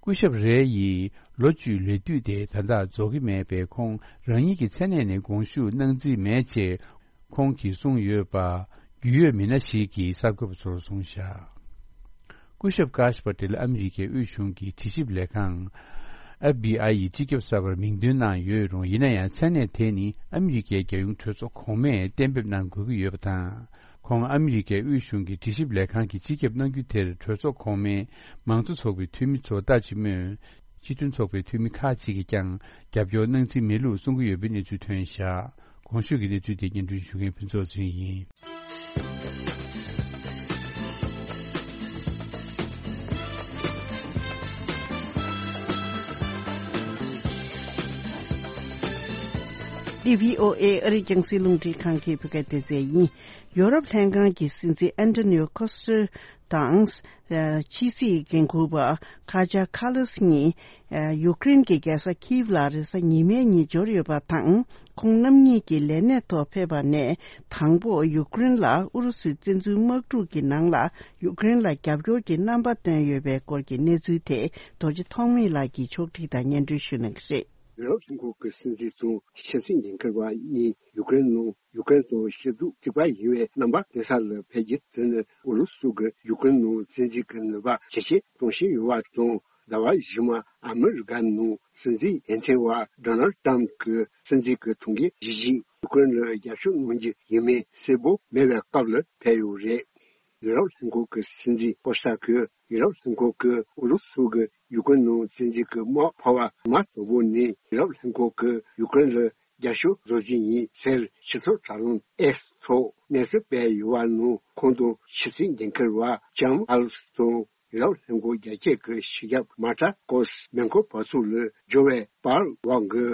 སྐུ་ཞབས་རེ་ཡིས་ལོ་བཅུའི་ལས་དུས་དེ་ད་ལྟ་རྫོགས་ཀྱི་མེད་པས། ཁོང་རང་ཉིད་ཀྱི་མཚན་གནས་ནས་དགོངས་ཞུ་གནང་རྩིས་མེད་ཅེས་ཁོང་གིས་གསུངས་ཡོད་པ། རྒྱུས་ཡོད་མི་སྣ་ཞིག་གིས་གསར་འགོད་པ་ཚོར་གསུངས་བཞག་སྐུ་ཞབས་ཀཱཤ་པ་ཏེལ་ཨ་མི་རི་ཀའི་དབུས་གཞུང་གི་དྲི་ཞིབ་ལས་ཁང་FBI ཡི་སྤྱི་ཁྱབ་གསར་པར་མིང་འདོན་གནང་ཡོད་རུང་། ཡིན་ན་ཡང་། མཚན་གནས་དེ་ནི་ཨ་མི་རི་ཀའི་རྒྱལ་ཡོངས་གྲོས་ཚོགས་གོང་མས་གཏན་འབེབས་གནང་དགོས་ཀྱི་ཡོད་པ་དང་། ཁོང་ཨ་མི་རི་ཀའི་དབུས་གཞུང་གི་དྲི་ཞིབ་ལས་ཁང་གི་སྤྱི་ཁྱབ་གནང་རྒྱུ་དེར། གྲོས་ཚོགས་གོང་མའི་མང་གཙོ་ཚོགས་པའི་འཐུས་མི་ཚོ་ལྟ་ཅི་སྨོས། སྤྱི་མཐུན་ཚོགས་པའི་འཐུས་མི་ཁག་ཅིག་གིས་ཀྱང་རྒྱབ་སྐྱོར་གནང་རྩིས་མེད་ལུགས་གསུང་གི་ཡོད་པའི་གནས་ཚུལ་ཐོན་བཞག་གོང་ཞུས་ཀྱི་གནས་ཚུལ་དེ་སྙན་སྒྲོན་ཞུ་མཁན་ཕུན་ཚོགས་ཚེ་རིང་ཡིན། འདི་བྷི་ཨོ་ཨེ་ཨ་རིའི་རྒྱང་སྲིང་རླུང་འཕྲིན་ཁང་གི་བོད་སྐད་སྡེ་ཚན་ཡིན། ཡོ་རོབ་ལྷན་ཁང་གི་སྲིད་འཛིན་ཨན་ཏོ་ནིའོ་ཁོ་སི་ཊོ་དང་། ཕྱི་སྲིད་འགན་འཁུར་བ་ཁ་ཇ་ཁ་ལཱས་གཉིས། ཡུཀ་རེན་གྱི་རྒྱལ་ས་ཁིབ་ལ་རེས་གཟའ་ཉི་མའི་ཉིན་འབྱོར་ཡོད་པ་དང་། ཁོང་རྣམ་གཉིས་ཀྱི་ལས་གནས་ཐོག་ཕེབས་པ་ནས་དང་པོ། ཡུཀ་རེན་ལ་ཨུ་རུ་སུའི་བཙན་འཛུལ་དམག་འཁྲུག་གི་ནང་ལ་ཡུཀ་རེན་ལ་རྒྱབ་སྐྱོར་གྱི་རྣམ་པ་བཏོན་ཡོད་པའི་སྐོར་གྱི་གནས་ཚུལ་དེ་རྡོ་རྗེ་ཐོགས་མེད་ལགས་ཀྱིས་ཕྱོགས་སྒྲིག་དང་སྙན་སྒྲོན་ཞུ་གནང་གི་རེད། ཡུ་རོབ་ལྷན་ཁང་གི་སྲིད་འཛིན་དང་ཕྱི་སྲིད་འགན་འཁུར་བ་གཉིས་ཡུཀ་རེན་ནང་ཡུཀ་རེན་དང་ཤར་ཕྱོགས་གཅིག་པ་ཡིན་པའི་རྣམ་པ་སྟོན་ས་ལ་ཕེབས་རྒྱུ་དེ་ནི་ཨུ་རུ་སུ་གིས་ཡུཀ་རེན་ནང་བཙན་འཛུལ་གྱི་ནུས་པ་ཇེ་ཆེར་གཏོང་བཞིན་ཡོད་པ་དང་། ཟླ་བ་རྗེས་མ་ཨ་མི་རི་ཀ་ནང་སྲིད་འཛིན་འོས་ཐོན་པ་ཌོ་ནལ་ཊམ་གྱི་སྲིད་འཛིན་གྱི་ཐུགས་འགན་བཞེས་རྗེས་ཡུཀ་རེན་ལ་རྒྱབ་སྐྱོར་གནང་རྒྱུ་ཡིན་མིན་གསལ་པོ་མེད་པའི་སྐབས་ལ་ཕེབས་ཡོད་རེད། ཡུ་རོབ་ལྷན་ཁང་གི་སྲིད་འཛིན་བསྐོ་ས་ཁུལ། ཡུ་རོབ་ལྷན་ཁང་གིས་ཨུ་རུ་སུ་གིས་ཡུ་ཀེ་རེན་ནང་བཙན་འཛུལ་གྱི་དམག་འཕར་བ་མ་དོ་པོ་ནས་ཡུ་རོབ་ལྷན་ཁང་གིས་ཡུ་ཀེ་རེན་ལ་རྒྱབ་སྐྱོར་བཟོ་རྒྱུ་ཡིན་ཟེར་ཕྱི་ཚོགས་དྲ་ལམ་X ཐོག་གནས་ཚུལ་སྤེལ་ཡོད་པ་ནང་ཁོང་དང་ཕྱི་སྲིད་འགན་འཁུར་བ་ལྕམ་ཀར་ལོས་དང་ཡུ་རོབ་ལྷན་ཁང་རྒྱ་སྐྱེད་ཀྱི་སྤྱི་ཁྱབ་མཱ་ཀྲ་ཀོས་མེན་ཀོ་བར་ཚོགས་ལ་འབྱོར་བའི་བར་འོག་གི་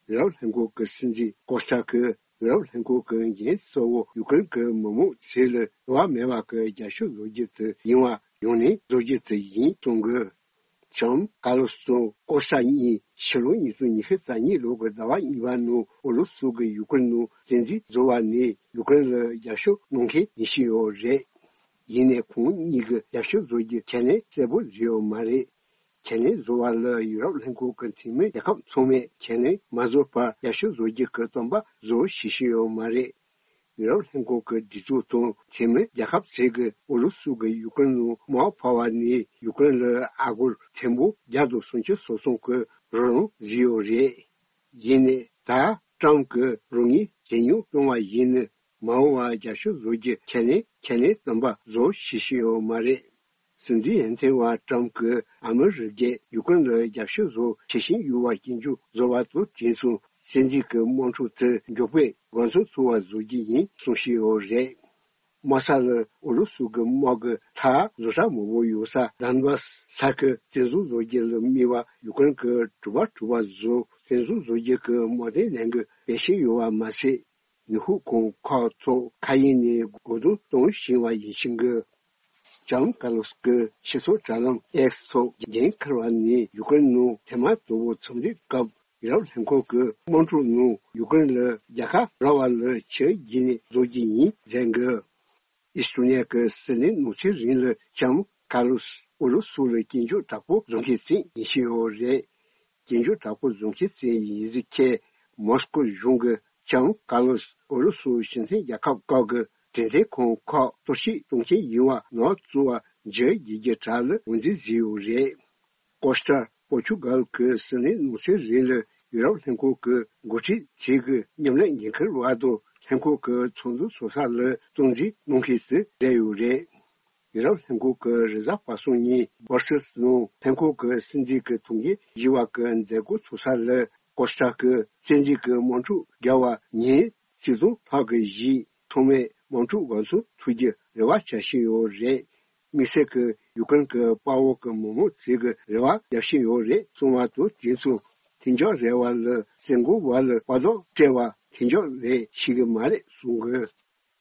ཡུ་རོབ་ལྷན་ཁང་གི་སྲིད་འཛིན་ཀོ་སྟ་གིས་ཡུ་རོབ་ལྷན་ཁང་གི་འགན་གཙོ་བོ་ཡུ་ཀེ་རེན་གྱི་མི་མང་ཚོ་ལ་འགྱུར་བ་མེད་པ་གི་རྒྱབ་སྐྱོར་བཟོ་རྒྱུ་དེ་ཡིན་པ་ཡང་ནས་བཟོ་རྒྱུ་དེ་ཡིན་གསུང་གི། ལྕམ་ཀར་ལོས་དང་ཀོ་སྟ་གཉིས་ཕྱི་ལོ་ཉིས་སྟོང་ཉི་ཤུ་རྩ་གཉིས་ལོ་གི་ཟླ་བ་གཉིས་པ་ནང་ཨུ་རུ་སུ་གིས་ཡུ་ཀེ་རེན་ནང་བཙན་འཛུལ་བཟོ་བ་ནས་ཡུ་ཀེ་རེན་ལ་རྒྱབ་སྐྱོར་གནང་མཁན་ཡིན་བཞིན་ཡོད་རེད། ཡིན་ནའི་ཁོང་གཉིས་ཀྱི་རྒྱབ་སྐྱོར་བཟོ་རྒྱུ་ཁས་ལེན་གསལ་པོ་བཟོས་ཡོད་མ་རེད། ཁས་ལེན་བཟོ་བ་ལ་ཡུ་རོབ་ལྷན་ཁང་གི་འཐུས་མི་རྒྱལ་ཁབ་ཚང་མས་ཁས་ལེན་མ་བཟོས་བར་རྒྱབ་སྐྱོར་བཟོ་རྒྱུ་གི་བསམ་པ་བཟོ་བྱེད་བཞིན་ཡོད་མ་རེད། ཡུ་རོབ་ལྷན་ཁང་གི་སྒྲིག་འཛུགས་དང་འཐུས་མི་རྒྱལ་ཁབ་ཚོས་ཀྱིས་ཨུ་རུ་སུ་གིས་ཡུ་ཀེ་རེན་ནང་དམག་འཕར་བ་ནས་ཡུ་ཀེ་རེན་ལ་ཨ་སྒོར་ཐེར་འབུམ་བརྒྱ་དང་སུམ་ཅུ་སོ་གསུམ་གྱི་རོགས་རམ་བཟོས་ཡོད་རེད། ཡིན་ནའི་ད་ཀྲམ་གྱིས་རོགས་དངུལ་ཇེ་ཉུང་གཏོང་བ་ཡིན་ན་མ་འོངས་པར་རྒྱབ་སྐྱོར་བཟོ་རྒྱུ་ཁས་ལེན་ཁས་ལེན་བསམ་པ་བཟོ་བྱེད་བཞིན་ཡོད་མ་རེད། སྲིད་འཛིན་འོས་ཐོན་པ་ཀྲམ་གྱིས་ཨ་མི་རི་ཀས་ཡུ་ཀེ་རེན་ལ་རྒྱབ་སྐྱོར་བཟོ་བྱེད་བཞིན་ཡོད་པ་སྐྱོན་བརྗོད་བཟོ་བ་དང་དུས་མཚུངས་བཙན་འཛུལ་གྱི་དམག་འཁྲུག་དེ་མགྱོགས་པོས་འགོ་ཚུགས་ཐུབ་པ་བཟོ་རྒྱུ་ཡིན་གསུངས་བཞིན་ཡོད་རེད། དམག་ས་ལ་ཨུ་རུ་སུ་གི་དམག་གི་ཐག་བཟོ་གྲྭ་མང་པོ་ཡོད་ས་དཱན་བྷ་སི་ས་ཁུལ་བཙན་བཟུང་བཟོ་རྒྱུ་ལ་དམིགས་པ་ཡུ་ཀེ་རེན་གྱིས་གྲུ་པ་གྲུ་པ་བཟོ་བཙན་བཟུང་བཟོ་རྒྱུ་གི་དམག་དོན་ལས་འགུལ་སྤེལ་བཞིན་ཡོད་པ་མ་ཟད། ནུས་ཤུགས་ཁང་ཁག་ཐོག་མཁའ་དབྱིངས་ནས་རྒོལ་རྡུང་གཏོང་བཞིན་པ་ཡིན་ཞིང་གི། ལྕམ་ཀར་ལོས་ཀྱི་སྤྱི་ཚོགས་དྲ་ལམ་ཨེགས་ཐོག་འགན་འཁུར་བ་ནས་ཡུ་ཀེ་རེན་ནང་ཐེངས་མ་དང་པོ་འཚམས་འདྲིའི་སྐབས་ཡུ་རོབ་ལྷན་ཁང་གི་དམག་འཁྲུག་ནང་ཡུ་ཀེ་རེན་ལ་རྒྱལ་ཁ་རག་པ་ལ་ཆེས་བརྒྱུད་ནས་བཟོ་རྒྱུ་ཡིན་ཟེར་གི། ཨེ་སི་ཊོ་ནི་ཡ་གི་སྲིད་བློན་ནང་ཚན་རིང་ལ་ལྕམ་ཀར་ལོས་ཨུ་རུ་སུ་ལ་སྐྱོན་བརྗོད་དྲག་པོ་བཟོ་མཁན་ཞིག་ཡིན་བཞིན་ཡོད་རེད། སྐྱོན་བརྗོད་དྲག་པོ་བཟོ་མཁན་ཞིག་ཡིན་ཟེར་མཁན་མོ་སི་ཀོ་གཞུང་གིས་ལྕམ་ཀར་ལོས་ཨུ་རུ་སུའི་སྤྱི་མཐུན་རྒྱལ་ཁབ་ཁག་གི་འབྲེལ་མཐུད་ཁང་ཁག་གཏོར་བཤིག་གཏོང་མཁན་ཡིན་པ་ནག་བཙུགས་པ་བརྗོད་རྒྱུ་གྱི་གྲས་ལ་ངོས་འཛིན་བཟོས་ཡོད་རེད། ཀོ་སྟ་པོར་ཆུ་གལ་གྱི་སྲིད་བློན་ནང་ཚན་རིང་ལ་ཡུ་རོབ་ལྷན་ཁང་གི་འགོ་ཁྲིད་ཚོས་ཀྱི་མཉམ་ལས་འགན་འཁུར་བ་དང་ལྷན་ཁང་གི་ཚོགས་འདུ་ཚོགས་ས་ལ་སྟངས་འཛིན་གནང་མཁན་ཞིག་རེད་ཡོད་རེད། ཡུ་རོབ་ལྷན་ཁང་གི་རེས་གཟའ་པ་སངས་ཉིན་སྦར་སེལ་སི་ནང་ལྷན་ཁང་གི་སྲིད་འཛིན་གྱི་ཐུགས་འགན་བཞེས་པ་གི་མཛད་སྒོ་ཚོགས་ས་ལ་ཀོ་སྟ་གིས་བཙན་འཛུལ་གྱི་དམག་འཁྲུག་བརྒྱབ་པ་ཉིན་ཆིག་སྟོང་ལྷག་གི་གཞིས་ཚང་མས་དམག་འཁྲུག་འགོ་ཚུགས་ཐུབ་རྒྱུ་རེ་བ་བྱ་བཞིན་ཡོད་རེད། དམིགས་བསལ་གྱི་ཡུ་ཀེ་རེན་གྱི་དཔའ་བོ་གི་མི་མང་ཚོས་ཀྱི་རེ་བ་རྒྱག་བཞིན་ཡོད་རེད་གསུངས་པ་དང་དུས་མཚུངས་མཐུན་ཕྱོགས་རེ་བ་ལ་སེ་འགོ་བ་ལ་དཔའ་རྡོག་སྤྲད་པ་མཐུན་ཕྱོགས་རེད་ཤེས་ཀྱི་མ་རེད་གསུང་གི།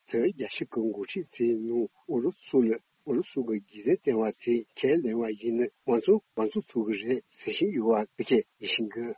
དེར་རྒྱལ་སྤྱི་གི་འགོ་ཁྲིད་ཚོའི་ནང་ཨུ་རུ་སུ་ལ་ཨུ་རུ་སུ་གི་རྒྱལ་དོན་བསྟན་པ་ཚོས་ཁས་ལེན་པ་ཡིན་ན་དམག་འཛིང་འགོ་ཚུགས་ཐུབ་ཀྱི་རེད་ཟེར་བཞིན་ཡོད་པ་ཕལ་ཆེར་ཡིན་ཤིང་གི།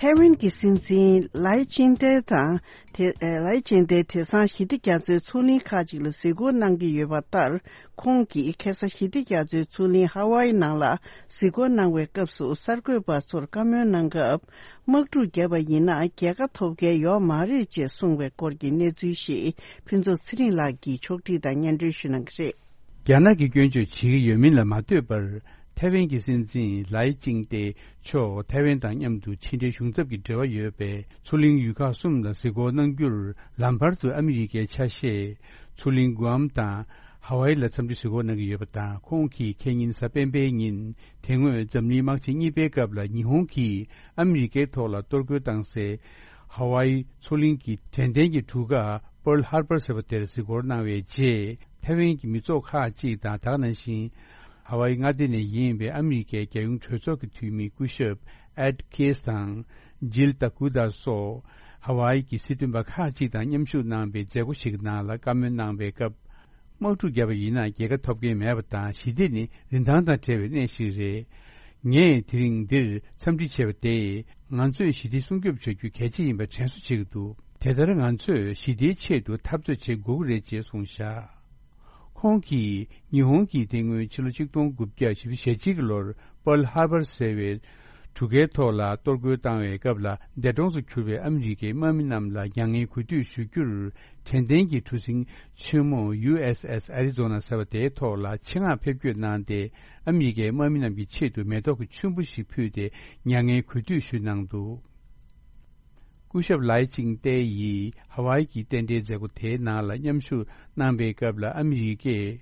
ཐའེ་ཝན་གྱི་སྲིད་འཛིན་ལའེ་ཅིང་ཏེ་དང་། དེ། ཨེ། ལའེ་ཅིང་ཏེ་དེང་སང་ཞི་བདེ་རྒྱ་མཚོའི་མཚོ་གླིང་ཁག་ཅིག་ལ་གཟིགས་སྐོར་གནང་གི་ཡོད་པ་ལྟར། ཁོང་གིས་ཁ་སང་ཞི་བདེ་རྒྱ་མཚོའི་མཚོ་གླིང་ཧ་ཝའི་ནང་ལ་གཟིགས་སྐོར་གནང་བའི་སྐབས་སུ་གསར་འགོད་པ་ཚོར་བཀའ་མོལ་གནང་སྐབས། དམག་འཁྲུག་བརྒྱབ་པ་ཡིན་ན་རྒྱལ་ཁ་ཐོབ་མཁན་ཡོད་མ་རེད་ཅེས་གསུངས་པའི་སྐོར་གྱི་གནས་ཚུལ་ཞིག་ཕུན་ཚོགས་ཚེ་རིང་ལགས་ཀྱིས་ཕྱོགས་སྒྲིག་དང་སྙན་སྒྲོན་ཞུ་གནང་གི་རེད། རྒྱ་ནག་གིས་སྐྱོན་བརྗོད་བྱེད་ཀྱི་ཡོད་མིན་ལ་མ་ལྟོས་པར། ཐའེ་ཝན་གྱི་སྲིད་འཛིན་ལའེ་ཅིང་ཏེ་མཆོག་ཐའེ་ཝན་དང་མཉམ་དུ་ཕྱི་འབྲེལ་གཞུང་ཚབ་ཀྱི་འབྲེལ་བ་ཡོད་པའི་མཚོ་གླིང་ཡུལ་ཁག་གསུམ་ལ་གཟིགས་སྐོར་གནང་རྒྱུར་ལམ་བར་དུ་ཨ་མི་རི་ཀའི་ཆ་ཤས། མཚོ་གླིང་གུའམ་དང་ཧ་ཝའི་ལ་འཚམས་འདྲི་གཟིགས་སྐོར་གནང་གི་ཡོད་པ་དང་། ཁོང་གིས་ཁེ་ཉིན་གཟའ་སྤེན་པའི་ཉིན། དེ་སྔོན་འཛམ་གླིང་དམག་ཆེན་གཉིས་པའི་སྐབས་ལ་ཉི་ཧོང་གིས་ཨ་མི་རི་ཀའི་ཐོག་ལ་གཏོར་རྒོལ་བཏང་སའི་ཧ་ཝའི་མཚོ་གླིང་གི་དྲན་རྟེན་གྱི་གྲུ་ཁ་Pearl Harbor ཟེར་བ་དེར་གཟིགས་སྐོར་གནང་བའི་རྗེས། ཐའེ་ཝན་གྱི་མི་ཚོགས་ཁག་ཅིག་དང་། ད་ག་ནང་བཞིན་ཧ་ཝའི་མངའ་སྡེ་ནས་ཡིན་པའི་ཨ་མི་རི་ཀའི་རྒྱལ་ཡོངས་གྲོས་ཚོགས་ཀྱི་འཐུས་མི་སྐུ་ཞབས་Ed Keys དང་Jill Tokuda སོགས་ཧ་ཝའི་གི་སྲིད་དོན་པ་ཁག་ཅིག་དང་མཉམ་ཞུགས་གནང་བའི་མཛད་སྒོ་ཞིག་གི་ནང་ལ་བཀའ་མོལ་གནང་བའི་སྐབས། དམག་འཁྲུག་བརྒྱབ་པ་ཡིན་ན་རྒྱལ་ཁ་ཐོབ་མཁན་མེད་པ་དང་། ཞི་བདེ་ནི་རིན་ཐང་དང་བྲལ་བའི་གནས་ཤིག་རེད། ངས་དེ་རིང་འདིར་འཚམས་འདྲི་བྱས་པ་དེས་ང་ཚོས་ཞི་བདེ་སྲུང་སྐྱོབ་བྱ་རྒྱུ་གལ་ཆེ་ཡིན་པ་དྲན་གསོ་བྱེད་ཀྱི་འདུག་དེ་ལྟར་ང་ཚོས་ཞི་བདེའི་ཆེད་དུ་འཐབ་རྩོད་བྱེད་དགོས་ཀྱི་རེད་ཅེས་གསུངས་བཞག་ཁོང་གིས་ཉི་ཧོང་གིས་དེ་སྔོན་ཕྱི་ལོ་ཆིག་སྟོང་དགུ་བརྒྱ་བཞི་བཅུ་ཞེ་གཅིག་གི་ལོར་Pearl Harbor ཟེར་བའི་གྲུ་ཁའི་ཐོག་ལ་གཏོར་རྒོལ་བཏང་བའི་སྐབས་ལ་འདས་གྲོངས་སུ་གྱུར་པའི་ཨ་མི་རི་ཀའི་དམག་མི་རྣམས་ལ་མྱ་ངན་གུས་འདུད་ཞུ་རྒྱུར། དྲན་རྟེན་གྱི་གྲུ་གཟིངས་ཆེན་མོ་ཡུ་ཨེས་ཨེས་ཨ་རི་ཛོ་ན་ཟེར་བ་དེའི་ཐོག་ལ་ཆེད་མངགས་ཕེབས་སྐྱོད་གནང་སྟེ། ཨ་མི་རི་ཀའི་དམག་མི་རྣམས་ཀྱི་ཆེད་དུ་མེ་ཏོག་གི་ཆུན་པོ་ཞིག་ཕུལ་ཏེ་མྱ་ངན་གུས་འདུད་ཞུས་གནང་འདུག་སྐུ་ཞབས་ལའེ་ཅིང་ཏེ་ཡིས་ཧ་ཝའི་གི་རྟེན་འབྲེལ་མཛད་སྒོ་དེའི་ནང་ལ་མཉམ་ཞུགས་གནང་པའི་སྐབས་ལ་ཨ་མི་རི་ཀས་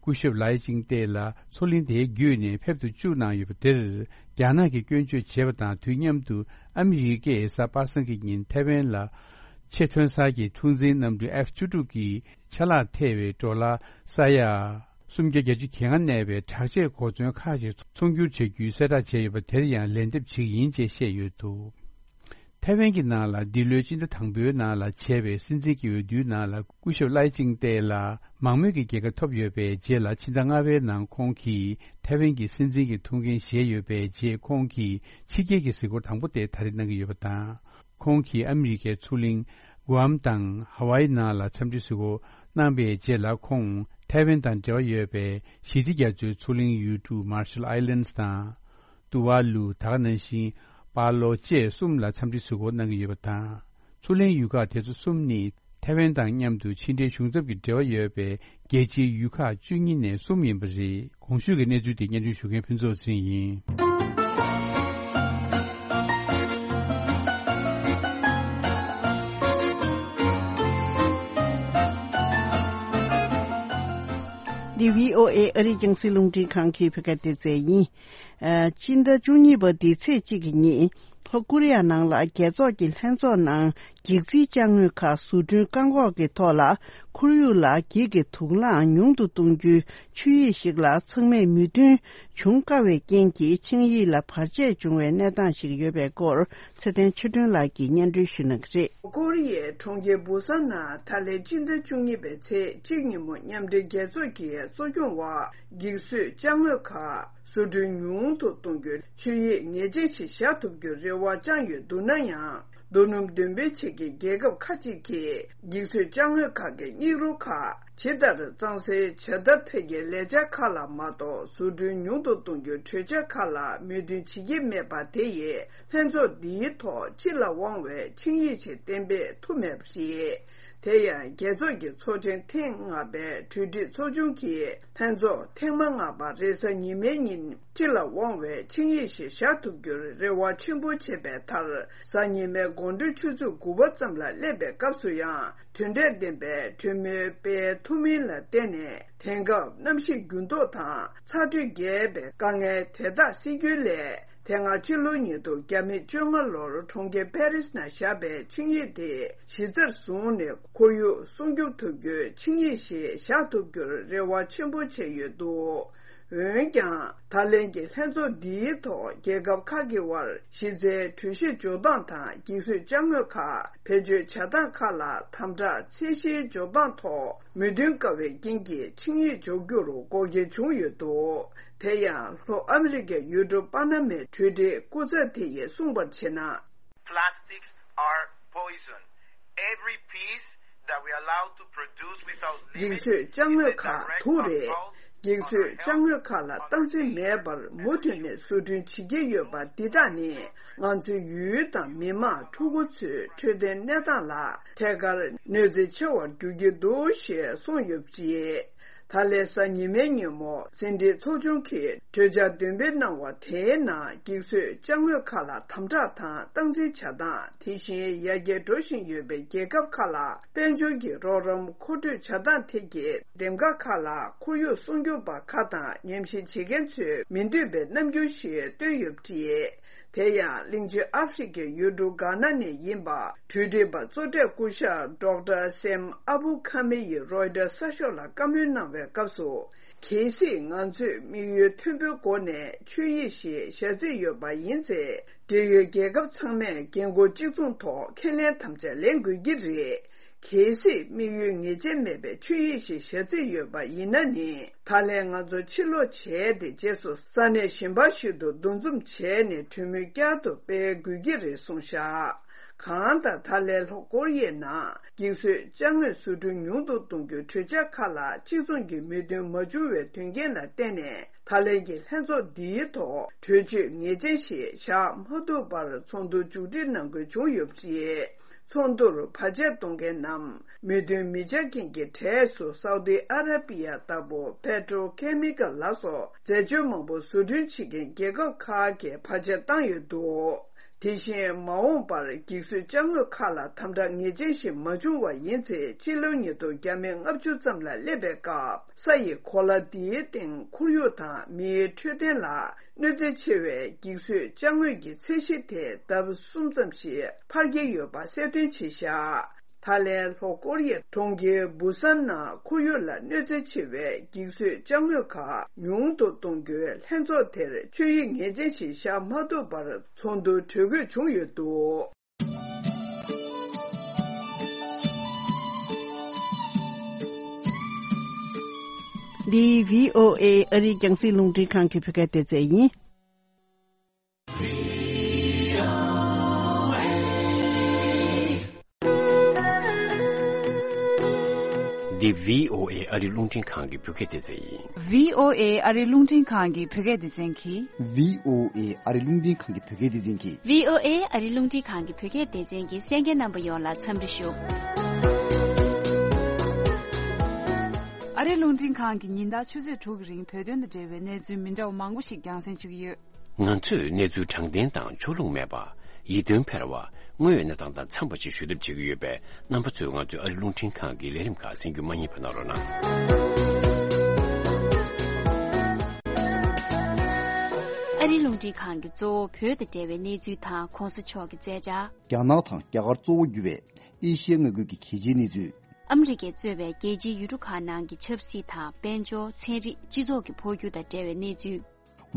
སྐུ་ཞབས་ལའེ་ཅིང་ཏེ་ལགས་མཚོ་གླིང་དེའི་བརྒྱུད་ནས་ཕེབས་ཏུ་བཅུག་གནང་ཡོད་པ་དེར། རྒྱ་ནག་གིས་སྐྱོན་བརྗོད་བྱས་པ་དང་དུས་མཉམ་དུ་ཨ་མི་རི་ཀས་གཟའ་པ་སངས་ཀྱི་ཉིན་ཐའེ་ཝན་ལ་ཆེས་ཐོན་གསར་གྱི་འཁྲུག་འཛིང་གནམ་གྲུ་ཨེཕ་བཅུ་དྲུག་གི་ཆ་ལག་ཐེ་བའི་ཌོ་ལར་ས་ཡ་སུམ་བརྒྱ་གྱ་གཅིག་གྱ་ལྔ་གནས་པའི་དྲག་ཆས་གོ་མཚོན་ཁག་ཅིག་ཚོང་སྒྱུར་བྱ་རྒྱུའི་གསལ་བསྒྲགས་བྱས་ཡོད་པ་དེར་ཡང་ལན་འདེབས་བྱེད་ཀྱི་ཡིན་ཅེས་བཤད་ཡོད་འདུག་ཐའེ་ཝན་གྱི་ནང་ལ་འདི་ལོའི་སྤྱི་ཟླ་དང་པོའི་ནང་ལ་བྱས་པའི་སྲིད་འཛིན་གྱི་འོས་བསྡུའི་ནང་ལ་སྐུ་ཞབས་ལའེ་ཅིང་ཏེ་ལ་མང་མོས་ཀྱི་རྒྱལ་ཁ་ཐོབ་ཡོད་པའི་རྗེས་ལ། ཕྱི་ཟླ་ལྔ་པའི་ནང་ཁོང་གིས་ཐའེ་ཝན་གྱི་སྲིད་འཛིན་གྱི་ཐུགས་འགན་བཞེས་ཡོད་པའི་རྗེས། ཁོང་གིས་ཕྱི་རྒྱལ་གྱི་གཟིགས་སྐོར་དང་པོ་དེ་ད་རེས་གནང་གི་ཡོད་པ་དང་། ཁོང་གིས་ཨ་མི་རི་ཀའི་མཚོ་གླིང་གུ་ཨམ་དང་ཧ་ཝཱ་ཡི་ནང་ལ་འཚམས་འདྲི་གཟིགས་སྐོར་གནང་པའི་རྗེས་ལ། ཁོང་ཐའེ་ཝན་དང་འབྲེལ་བ་ཡོད་པའི་ཞི་བདེ་རྒྱ་མཚོའི་མཚོ་གླིང་ཡུལ་གྲུ་Marshall Islands དང་། ཏུ་ཝཱ་ལུ། ད་ག་ནང་བཞིན་པཱ་ལོ་བཅས་གསུམ་ལ་འཚམས་འདྲི་གཟིགས་སྐོར་གནང་གི་ཡོད་པ་དང་། མཚོ་གླིང་ཡུལ་ཁག་དེ་ཚོ་གསུམ་ནི་ཐའེ་ཝན་དང་མཉམ་དུ་ཕྱི་འབྲེལ་གཞུང་ཚབ་ཀྱི་འབྲེལ་བ་ཡོད་པའི་རྒྱལ་སྤྱིའི་ཡུལ་ཁག་བཅུ་གཉིས་ནས་གསུམ་ཡིན་པ་རེད། གོང་ཞུས་ཀྱི་གནས་ཚུལ་དེ་སྙན་སྒྲོན་ཞུ་མཁན་ཕུན་ཚོགས་ཚེ་རིང་ཡིན། འདི་བྷི་ཨོ་ཨེ་ཨ་རིའི་རྒྱང་སྲིང་རླུང་འཕྲིན་ཁང་གི་བོད་སྐད་སྡེ་ཚན་ཡིན། ཨ། སྤྱི་ཟླ་བཅུ་གཉིས་པ་འདིའི་ཚེས་གཅིག་གི་ཉིན། ལྷོ་ཀོ་རི་ཡ་ནང་ལ་རྒྱལ་ཚོགས་ཀྱི་ལྷན་ཚོགས་ནང་འགྱིག་རྩིས་ཅ་དངོས་ཁག་བཟོ་སྐྲུན་བཀག་འགོག་གི་ཐོག་ལ། ཁོར་ཡུག་ལ་འགྱིག་གི་དུག་རླངས་ཉུང་དུ་གཏོང་རྒྱུའི་ཆོད་ཡིག་ཞིག་ལ་ཚང་མས་མོས་མཐུན་བྱུང་དཀའ་བའི་རྐྱེན་གྱིས། ཆིངས་ཡིག་ལ་བར་ཆད་བྱུང་བའི་གནས་སྟངས་ཤིག་ཡོད་པའི་སྐོར། ཚེ་བརྟན་ཆོས་སྒྲོན་ལགས་ཀྱིས་སྙན་སྒྲོན་ཞུ་གནང་གི་རེད། ལྷོ་ཀོ་རི་ཡའི་གྲོང་ཁྱེར་བུ་སཱན་ནང་ད་ལན་སྤྱི་ཟླ་བཅུ་གཉིས་པའི་ཚེས་གཅིག་ཉིན་མོ་མཉམ་འབྲེལ་རྒྱལ་ཚོགས་ཀྱི་གཙོ་སྐྱོང་འོག་འགྱིག་བཟོས་ཅ་དངོས་ཁག་བཟོ་སྐྲུན་ཉུང་དུ་གཏོང་རྒྱུའི་ཆོད་ཡིག་ངེས་ཅན་ཞིག་བཞག་ཐུབ་རྒྱུའི་རེ་བ་བཅངས་ཡོད་འདུག་ན་ཡང་། རྡོ་སྣུམ་འདོན་སྤེལ་བྱེད་མཁན་རྒྱལ་ཁབ་ཁག་ཅིག་གིས་འགྱིག་བཟོས་ཅ་དངོས་ཁག་གི་སྙིགས་རོ་ཁག་ཇི་ལྟར་གཙང་སེལ་བྱ་ཐབས་ཐད་ཀྱི་ལས་འཆར་ཁག་ལ་མ་གཏོགས། བཟོ་སྐྲུན་ཉུང་དུ་གཏོང་རྒྱུའི་གྲོས་འཆར་ཁག་ལ་མོས་མཐུན་བྱེད་ཀྱི་མེད་པ་དེ་ཡིས། ལྷན་ཚོགས་འདིའི་ཐོག་སྤྱི་ལ་དབང་བའི་ཆིངས་ཡིག་ཞིག་གཏན་འབེབས་ཐུབ་མེད་པ་རེད། དེ་ཡང་རྒྱལ་ཚོགས་ཀྱི་ཚོགས་ཆེན་ཐེངས་ལྔ་པའི་གྲོས་སྒྲིག་ཚོགས་ཆུང་གིས་ལྷན་ཚོགས་ཐེངས་མ་ལྔ་པ་རེས་གཟའ་ཉི་མའི་ཉིན་སྤྱི་ལ་དབང་བའི་ཆིངས་ཡིག་ཞིག་བཞག་ཐུབ་རྒྱུར་རེ་བ་ཆེན་པོ་བྱས་པའི་མཐར། གཟའ་ཉི་མའི་དགོང་དྲོ་ཆུ་ཚོད་དགུ་པ་ཙམ་ལ་སླེབས་པའི་སྐབས་སུ་ཡང་དོན་འབྲས་ལྡན་པའི་གྲོས་མོལ་སྤེལ་ཐུབ་མིན་ལ་བརྟེན་ནས། དེང་སྐབས་གནམ་གཤིས་འགྱུར་ལྡོག་དང་ཚ་དྲོད་རྒྱས་པའི་དཀའ་ངལ་དེ་དག་སེལ་རྒྱུའི་སླད། དེ་སྔ་ཕྱི་ལོ་ཉིས་སྟོང་ཉི་ཤུ་རྩ་ལྔ་ལོར་གྲོང་ཁྱེར་པེ་རིས་ནང་བཞག་པའི་ཆིངས་ཡིག་དེ་གཞི་རྩར་བཟུང་ནས་ཁོར་ཡུག་སྲུང་སྐྱོབ་ཐུབ་རྒྱུའི་ཆིངས་ཡིག་ཞིག་བཞག་ཐུབ་རྒྱུར་རེ་བ་ཆེན་པོ་བྱས་ཡོད་འདུག་འོན་ཀྱང་། ད་ལན་གྱི་ལྷན་ཚོགས་འདིའི་ཐོག་རྒྱལ་ཁབ་ཁག་གི་དབར་གཞི་རྩའི་གྲོས་གཞི་འཇོག་སྟངས་དང་། འགྱིག་བཟོས་ཅ་དངོས་ཁག་བེད་སྤྱོད་བྱ་སྟངས་ཁག་ལ་དམ་དྲག་ཚད་གཞིའི་འཇོག་སྟངས་ཐོག་མོས་མཐུན་དཀའ་བའི་རྐྱེན་གྱིས་ཆིངས་ཡིག་འཇོག་རྒྱུར་འགོག་རྐྱེན་བྱུང་ཡོད་འདུག་དེ་ཡང་། ལྷོ་ཨ་མི་རི་ཀའི་ཡུལ་གྲུ་པ་ན་མའི་གྲོས་སྒྲིག་སྐུ་ཚབ་དེ་ཡིས་གསུངས་པར་བྱས་ན། Plastics are poison. Every piece that we allow to produce without limit འགྱིག་བཟོས་ཅ་དངོས་ཁག་དུག་རེད། འགྱིག་བཟོས་ཅ་དངོས་ཁག་ལ་སྟངས་འཛིན་མེད་པར་མུ་མཐུད་ནས་བཟོ་སྐྲུན་བྱེད་ཀྱི་ཡོད་པ་འདི་དག་ནི། ང་ཚོའི་ཡུལ་དང་མི་དམངས་ཕྲུ་གུ་ཚོའི་འཕྲོད་བསྟེན་གནས་སྟངས་ལ་ཐད་ཀར་གནོད་འཚེ་ཆེ་བར་འགྱུར་གྱི་འདུག་ཞེས་གསུངས་ཡོད་པ་རེད། ད་ལན་གཟའ་ཉི་མའི་ཉིན་མོ་ཟིན་བྲིས་ཚོགས་ཆུང་གིས་གྲོས་འཆར་འདོན་སྤེལ་གནང་བ་དེའི་ནང་། འགྱིག་བཟོས་ཅ་དངོས་ཁག་ལ་དམ་དྲག་དང་སྟངས་འཛིན་བྱ་སྟངས། དེ་བཞིན་ཡར་རྒྱས་འགྲོ་བཞིན་ཡོད་པའི་རྒྱལ་ཁབ་ཁག་ལ་དཔལ་འབྱོར་གྱི་རོགས་རམ་མཁོ་སྤྲོད་བྱ་སྟངས་ཐད་ཀྱི་འདེམས་ཀ་ཁག་ལ། ཁོར་ཡུག་སྲུང་སྐྱོབ་པ་ཁག་དང་ཉམས་ཞིབ་བྱེད་མཁན་ཚོས་མི་འདོད་པའི་རྣམ་འགྱུར་ཞིག་སྟོན་ཡོད་པ་རེད། དེ་ཡང་གླིང་ཆེན་ཨ་ཧྥེ་རི་ཁའི་ཡུལ་གྲུ་གྷ་ན་ནས་ཡིན་པ། གྲོས་སྒྲིག་པ་གཙོ་གྲས་སྐུ་ཞབས་ཌོག་ཊར་སེམ་ཨ་བུ་ཁ་མེ་ཡིས་རོའི་ཊར་གསར་ཤོག་ལ་བཀའ་མོལ་གནང་བའི་སྐབས་སུ། གལ་སྲིད་ང་ཚོས་དམིགས་ཡུལ་མཐོན་པོའི་སྒོ་ནས་ཆོད་ཡིག་ཞིག་བཞག་རྩིས་ཡོད་པ་ཡིན་ཚེ། འབྲེལ་ཡོད་རྒྱལ་ཁབ་ཚང་མས་འགན་འཁུར་གཅིག་མཚུངས་ཐོག་ཁས་ལེན་དམ་བཅའ་ལེན་དགོས་ཀྱི་རེད། གལ་སྲིད་དམིགས་ཡུལ་ངེས་ཅན་མེད་པའི་ཆོད་ཡིག་ཞིག་བཞག་རྩིས་ཡོད་པ་ཡིན་ན་ནི། ད་ལན་ང་ཚོ་ཕྱིར་ལོག་བྱས་ཏེ། རྗེས་སུ་ས་གནས་གཞན་པ་ཞིག་ཏུ་འདུ་འཛོམས་བྱས་ནས་གྲོས་མོལ་བསྐྱར་དུ་སྤེལ་དགོས་ཀྱི་རེད་གསུངས་བཞག་གང་ལྟར། ད་ལན་ལྷོ་ཀོ་རི་ཡའི་ནང་འགྱིག་བཟོས་ཅ་དངོས་བཟོ་སྐྲུན་ཉུང་དུ་གཏོང་རྒྱུའི་གྲོས་འཆར་ཁག་ལ་གཅིག་མཚུངས་ཀྱི་མོས་མཐུན་མ་བྱུང་བའི་དོན་རྐྱེན་ལ་བརྟེན་ནས། ད་ལན་གྱི་ལྷན་ཚོགས་འདིའི་ཐོག་གྲོས་ཆོད་ངེས་ཅན་ཞིག་བཞག་མ་ཐུབ་པར་ཚོགས་འདུ་མཇུག་སྒྲིལ་གནང་དགོས་བྱུང་ཡོད་པ་རེད། ཚོགས་འདུར་བར་ཆད་གཏོང་མཁན་ནམ། མོས་མཐུན་མི་བྱ་མཁན་གྱི་གྲས་སུ་སའུ་ཏི་ཨ་ར་པི་ཡ་ལྟ་བུ་པེ་ཊོ་ཁེ་མི་ཀལ་ལ་སོགས་རྫས་སྦྱོར་མང་པོ་བཟོ་སྐྲུན་བྱེད་མཁན་རྒྱལ་ཁབ་ཁག་གིས་བར་ཆད་བཏང་ཡོད་འདུག་དེ་བཞིན་མ་འོངས་པར་འགྱིག་བཟོས་ཅ་དངོས་ཁག་ལ་དམ་དྲག་ངེས་ཅན་ཞིག་མ་བྱུང་བ་ཡིན་ཚེ། སྤྱི་ལོ་ཉིས་སྟོང་བརྒྱ་མེད་ལྔ་བཅུ་ཙམ་ལ་སླེབས་པའི་སྐབས་ས་ཡི་གོ་ལ་འདིའི་སྟེང་ཁོར་ཡུག་དང་མིའི་འཕྲོད་བསྟེན་ལ་གནོད་འཚེ་ཆེ་བའི་འགྱིག་བཟོས་ཅ་དངོས་ཀྱི་ཚད་གཞི་དེ་ལྡབ་གསུམ་ཙམ་ཞིག་འཕར་གྱི་ཡོད་པ་གསལ་སྟོན་བྱས་བཞག་ད་ལན་ལྷོ་ཀོ་རི་ཡའི་གྲོང་ཁྱེར་བུ་སན་ནང་ཁོར་ཡུག་ལ་གནོད་འཚེ་ཆེ་བའི་འགྱིག་བཟོས་ཅ་དངོས་ཁག་ཉུང་དུ་གཏོང་རྒྱུའི་ལྷན་ཚོགས་དེར་ཆོད་ཡིག་ངེས་ཅན་ཞིག་བཞག་མ་ཐུབ་པར་ཚོགས་འདུ་གྲོལ་དགོས་བྱུང་ཡོད་འདུག་འདི་བྷི་ཨོ་ཨེ་ཨ་རིའི་རྒྱང་སྲིང་རླུང་འཕྲིན་ཁང་གི་བོད་སྐད་སྡེ་ཚན་ཡིན། འདི་བྷི་ཨོ་ཨེ་ཨ་རིའི་རླུང་འཕྲིན་ཁང་གི་བོད་སྐད་སྡེ་ཚན་ཡིན། བྷི་ཨོ་ཨེ་ཨ་རིའི་རླུང་འཕྲིན་ཁང་གི་བོད་སྐད་སྡེ་ཚན་གྱིས། བྷི་ཨོ་ཨེ་ཨ་རིའི་རླུང་འཕྲིན་ཁང་གི་བོད་སྐད་སྡེ་ཚན་གྱིས། བྷི་ཨོ་ཨེ་ཨ་རིའི་རླུང་འཕྲིན་ཁང་གི་བོད་སྐད་སྡེ་ཚན་གྱི་གསན་མཁན་རྣམ་པ་ཡོངས་ལ་འཚམས་འདྲི་ཞུ། ཨ་རིའི་རླུང་འཕྲིན་ཁང་གིས་ཉིན་ལྟར་ཆུ་ཚོད་དྲུག་གི་རིང་བོད་དོན་དང་འབྲེལ་བའི་གནས་ཚུལ་མི་འདྲ་བ་མང་པོ་ཞིག་རྒྱང་སྲིང་ཞུ་གི་ཡོད། ང་ཚོས་གནས་ཚུལ་དྲང་བདེན་དང་ཕྱོགས་ལྷུང་མེད་པ། ཡིད་རྟོན་འཕེར་བ། དངོས་ཡོད་གནས་སྟངས་དང་འཚམས་པ་ཞིག་ཞུ་ཐབས་བྱེད་ཀྱི་ཡོད་པས། རྣམ་པ་ཚོས་ང་ཚོའི་ཨ་རིའི་རླུང་འཕྲིན་ཁང་གི་ལས་རིམ་ཁག་གསན་རྒྱུ་མ་བསྙེལ་བ་གནང་རོགས་གནང་། ཨ་རིའི་རླུང་འཕྲིན་ཁང་གིས་གཙོ་བོ་བོད་དང་འབྲེལ་བའི་གནས་ཚུལ་དང་གོང་ས་མཆོག་གི་མཛད་འཆར། རྒྱ་ནག་དང་རྒྱ་གར་གཙོ་བོ་གྱུར་བའི་ཨེ་ཤི་ཡའི་མངའ་ཁུལ་གྱི་གལ་ཆེའི་གནས་ཚུལ། ཨ་མི་རི་ཀས་གཙོས་པའི་རྒྱལ་སྤྱིའི་ཡུལ་གྲུ་ཁག་ནང་གི་ཆབ་སྲིད་དང་། དཔལ་འབྱོར། ཚན་རིག་སྤྱི་ཚོགས་ཀྱི་འཕོ་འགྱུར་དང་འབྲེལ་བའི་གནས་ཚུལ།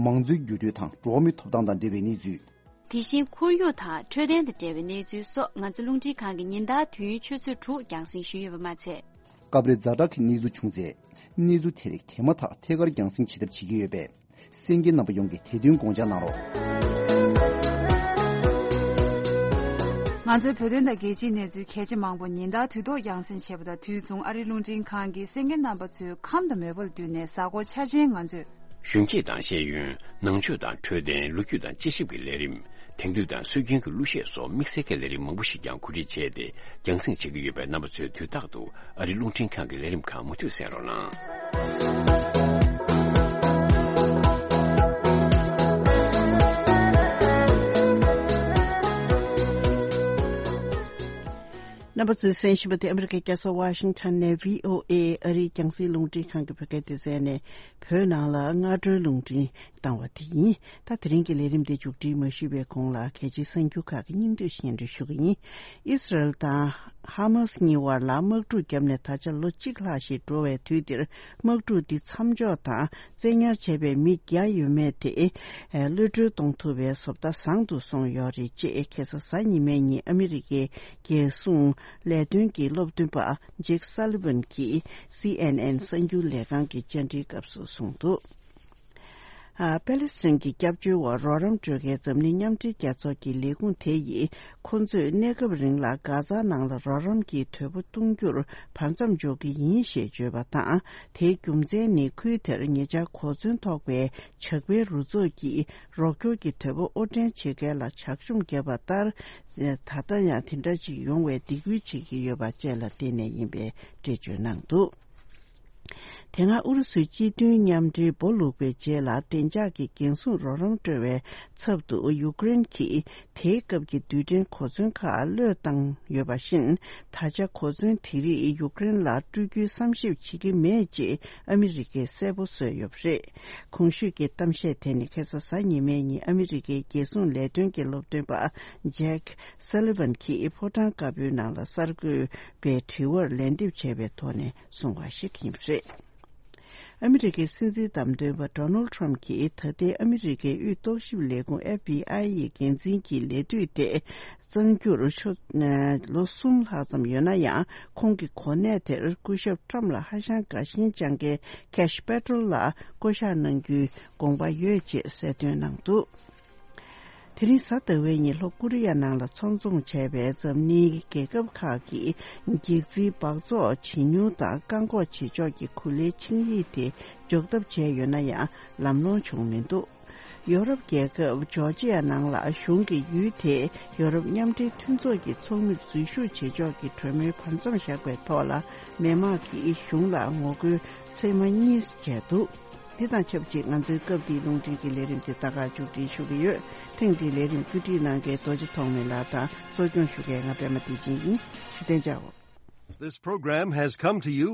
མང་གཙོའི་འགྱུར་འགྲོས་དང་འགྲོ་བ་མིའི་ཐོབ་ཐང་དང་འབྲེལ་བའི་གནས་ཚུལ། དེ་བཞིན་ཁོར་ཡུག་དང་འཕྲོད་བསྟེན་དང་འབྲེལ་བའི་གནས་ཚུལ་སོགས། ང་ཚོ་རླུང་འཕྲིན་ཁང་གིས་ཉིན་ལྟར་དུས་ཡུན་ཆུ་ཚོད་དྲུག་རྒྱང་སྲིང་ཞུས་ཡོད་པ་མ་ཚད། སྐབས་རེ་ཛ་དྲག་གི་གནས་ཚུལ་བྱུང་ཚེ། གནས་ཚུལ་དེ་རིགས་དེ་མ་ཐག་ཐད་ཀར་རྒྱང་སྲིང་བྱེད་ཐབས་བྱེད་ཀྱི་ཡོད་པས། གསན་མཁན་རྣམ་པ་ཡོངས་ཀྱིས་དེ་དོན་དགོངས་འཇགས་གནང་རོགས། ང་ཚོའི་བོད་དོན་དང་རྒྱལ་སྤྱིའི་གནས་ཚུལ་གལ་ཆེ་མང་པོ་ཉིན་ལྟར་དུས་ཐོག་རྒྱང་སྲིང་བྱེད་པ་དང་དུས་མཚུངས། ཨ་རིའི་རླུང་འཕྲིན་ཁང་གིས་གསན་མཁན་རྣམ་པ་ཚོའི་ཁམས་དང་མོས་པ་ལ་བསྟུན་ནས། གཟའ་འཁོར་འཆར་ཅན་ང་ཚོས། གཞོན་སྐྱེས་དང་ཤེས་ཡོན། ནང་ཆོས་དང་འཕྲོད་བསྟེན། ལོ་རྒྱུས་དང་དཔྱད་ཞིབ་ཀྱི་ལས་རིམ། དེང་དུས་དང་སྲོལ་རྒྱུན་གྱི་གླུ་གཞས་སོགས་དམིགས་བསལ་གྱི་ལས་རིམ་མང་པོ་ཞིག་ཀྱང་གོ་སྒྲིག་བྱས་ཏེ། རྒྱང་སྲིང་བྱེད་ཀྱི་ཡོད་པས། རྣམ་པ་ཚོས་དུས་རྟག་ཏུ་ཨ་རིའི་རླུང་འཕྲིན་ཁང་གི་ལས་རིམ་ཁག་མུ་མཐུད་གསན་རོགས་གནང་། རྣམ་པ་ཚོས་གསན་བཞིན་པ་དེ་ཨ་མི་རི་ཀའི་རྒྱལ་ས་ཝ་ཤིང་ཊོན་ནས་བྷི་ཨོ་ཨེ་ཨ་རིའི་རྒྱང་སྲིང་རླུང་འཕྲིན་ཁང་གི་བོད་སྐད་སྡེ་ཚན་ནས། བོད་ནང་ལ་སྔ་དྲོའི་རླུང་འཕྲིན་བཏང་བ་དེ་ཡིན། ད་དེ་རིང་གི་ལས་རིམ་དེ་མཇུག་སྒྲིལ་མ་ཞུས་པའི་གོང་ལ། གལ་ཆེའི་གསར་འགྱུར་ཁག་གི་སྙིང་བསྡུས་སྙན་སྒྲོན་ཞུ་གི་ཡིན། ཨི་སི་རལ་དང་ཧ་མཱ་སི་གཉིས་དབར་ལ་དམག་འཁྲུག་བརྒྱབ་ནས་ད་ཆ་ལོ་གཅིག་ལྷག་ཞིག་འགྲོ་བའི་དུས་འདིར། དམག་འཁྲུག་འདི་མཚམས་འཇོག་དང་བཙན་ཉར་བྱས་པའི་མི་བརྒྱ་ཡས་མས་དེ་གློད་གྲོལ་གཏོང་ཐུབ་པའི་བཟོ་ལྟ་བཟང་དུ་སོང་ཡོད་རེད་ཅེས། ཁ་སང་གཟའ་ཉི་མའི་ཉིན་ཨ་མི་རི་ཀའི་རྒྱལ་སྲུང་ལས་དོན་གྱི་སློབ་སྟོན་པ་ཇེག་སཱ་ལི་ཝན་གྱིས་སི་ཨེན་ཨེན་གསར་འགྱུར་ལས་ཁང་གི་བཅར་འདྲིའི་སྐབས་སུ་གསུངས་འདུག་ཨ། པེ་ལེ་སི་ཐན་གྱི་སྐྱབས་བཅོལ་བར་རོགས་རམ་སྤྲོད་མཁན་འཛམ་གླིང་མཉམ་འབྲེལ་རྒྱལ་ཚོགས་ཀྱི་ལས་ཁུངས་དེ་ཡིས། ཁོང་ཚོས་གནས་སྐབས་རིང་ལ་གྷ་ཛ་ནང་ལ་རོགས་རམ་གྱི་དོས་པོ་གཏོང་རྒྱུར་བར་མཚམས་འཇོག་གི་ཡིན་ཞེས་བརྗོད་པ་དང་། དེའི་རྒྱུ་མཚན་ནི། ཁུལ་དེར་ཉེ་ཆར་གོ་མཚོན་ཐོགས་པའི་ཇག་པའི་རུ་ཚོགས་ཀྱིས་རོགས་སྐྱོར་གྱི་དོས་པོ་དབོར་འདྲེན་བྱེད་མཁན་ལ་ཇག་བཅོམ་བརྒྱབ་པ་ལྟར། ད་ལྟ་ཡང་དེ་འདྲ་ཅིག་ཡོང་བའི་སྡིགས་སྐུལ་བྱེད་ཀྱི་ཡོད་པ་བཅས་ལ་བརྟེན་ནས་ཡིན་པའི་འགྲེལ་བརྗོད་གནང་འདུག་དེ་སྔ་ཨུ་རུ་སུའི་སྤྱི་མཐུན་མཉམ་འབྲེལ་སྦོ་ལུག་པའི་རྗེས་ལ། བདེ་འཇགས་ཀྱི་འགན་སྲུང་རོགས་རམ་སྤྲོད་པའི་ཚབ་ཏུ་ཡུཀ་རེན་གྱིས་དེའི་སྐབས་ཀྱི་རྡུལ་ཕྲན་གོ་མཚོན་ཁག་བློས་བཏང་ཡོད་པ་བཞིན། ད་ཆ་གོ་མཚོན་དེ་རིགས་ཡུཀ་རེན་ལ་སྤྲོད་རྒྱུའི་བསམ་ཞིབ་བྱེད་ཀྱི་མེད་ཅེས་ཨ་མི་རི་ཀས་གསལ་པོ་བཟོས་ཡོད་པ་རེད། གོང་ཞུས་ཀྱི་གཏམ་བཤད་དེ་ནི་ཁ་སང་གཟའ་ཉི་མའི་ཉིན་ཨ་མི་རི་ཀའི་རྒྱལ་སྲུང་ལས་དོན་གྱི་སློབ་སྟོན་པ་ཇེག་སཱ་ལི་ཝན་གྱིས་ཕོ་བྲང་དཀར་པོའི་ནང་ལ་གསར་འགོད་པའི་དྲི་བར་ལན་འདེབས་བྱས་པའི་ཐོག་ནས། གསུངས་པ་ཞིག་ཡིན་པ་རེད། ཨ་མི་རི་ཀའི་སྲིད་འཛིན་བདམས་ཐོན་པ་ཌོ་ནལ་ཊམ་གྱིས་ད་ལྟའི་ཨ་མི་རི་ཀའི་དབུས་རྟོག་ཞིབ་ལས་ཁུངས་ཨེཕ་བི་ཨའི་ཡི་འགན་འཛིན་གྱི་ལས་དུས་དེ་གཙང་སྒྱུར་ཆོག་ལོ་གསུམ་ལྷག་ཙམ་ཡོད་ན་ཡང་། ཁོང་གི་གོ་གནས་དེར་སྐུ་ཞབས་ཊམ་ལ་ཧ་ཤང་དགའ་ཞེན་བཅངས་མཁན་ཁེ་ཤི་པེ་ཏྲོལ་ལ་བསྐོ་གཞག་གནང་རྒྱུའི་དགོངས་པ་ཡོད་ཅེས་གསལ་སྟོན་གནང་འདུག་དེ་རིང་གཟའ་ཟླ་བའི་ཉིན་ལྷོ་ཀོ་རི་ཡ་ནང་ལ་ཚོགས་འཛོམས་བྱས་པའི་འཛམ་གླིང་རྒྱལ་ཁབ་ཁག་གིས་འགྱིག་རྩིའི་སྦགས་བཙོག་ཇེ་ཉུང་དང་བཀག་འགོག་བྱེད་ཕྱོགས་ཀྱི་གོ་ལའི་ཆིངས་ཡིག་དེ་འཇོག་ཐབས་བྱས་ཡོད་ན་ཡང་ལམ་ལྷོང་བྱུང་མི་འདུག་ཡོ་རོབ་རྒྱལ་ཁབ་ཇོར་ཇི་ཡ་ནང་ལ་གཞུང་གིས་ཡུལ་དེ་ཡོ་རོབ་མཉམ་འབྲེལ་མཐུན་ཚོགས་ཀྱི་ཚོགས་མིར་འཛུལ་ཞུགས་བྱེད་ཕྱོགས་ཀྱི་གྲོས་མོལ་བར་མཚམས་བཞག་པའི་ཐོག་ལ། མི་མང་གིས་གཞུང་ལ་ངོ་རྒོལ་ཚེས་མ་གཉིས་བྱས་འདུག་འདི་དང་ཆབས་ཅིག་ང་ཚོའི་སྐབས་འདིའི་རླུང་འཕྲིན་གྱི་ལས་རིམ་དེ་ད་ག་མཇུག་སྒྲིལ་ཞུ་གི་ཡོད། ཐེངས་འདིའི་ལས་རིམ་བཀོད་སྒྲིག་གནང་མཁན་རྡོ་རྗེ་ཐོགས་མེད་ལགས་དང་གཙོ་སྐྱོང་ཞུ་མཁན་ང་པད་མ་བདེ་ཆེན་ཡིན། བཞུགས་གདན་འཇགས། This program has come to you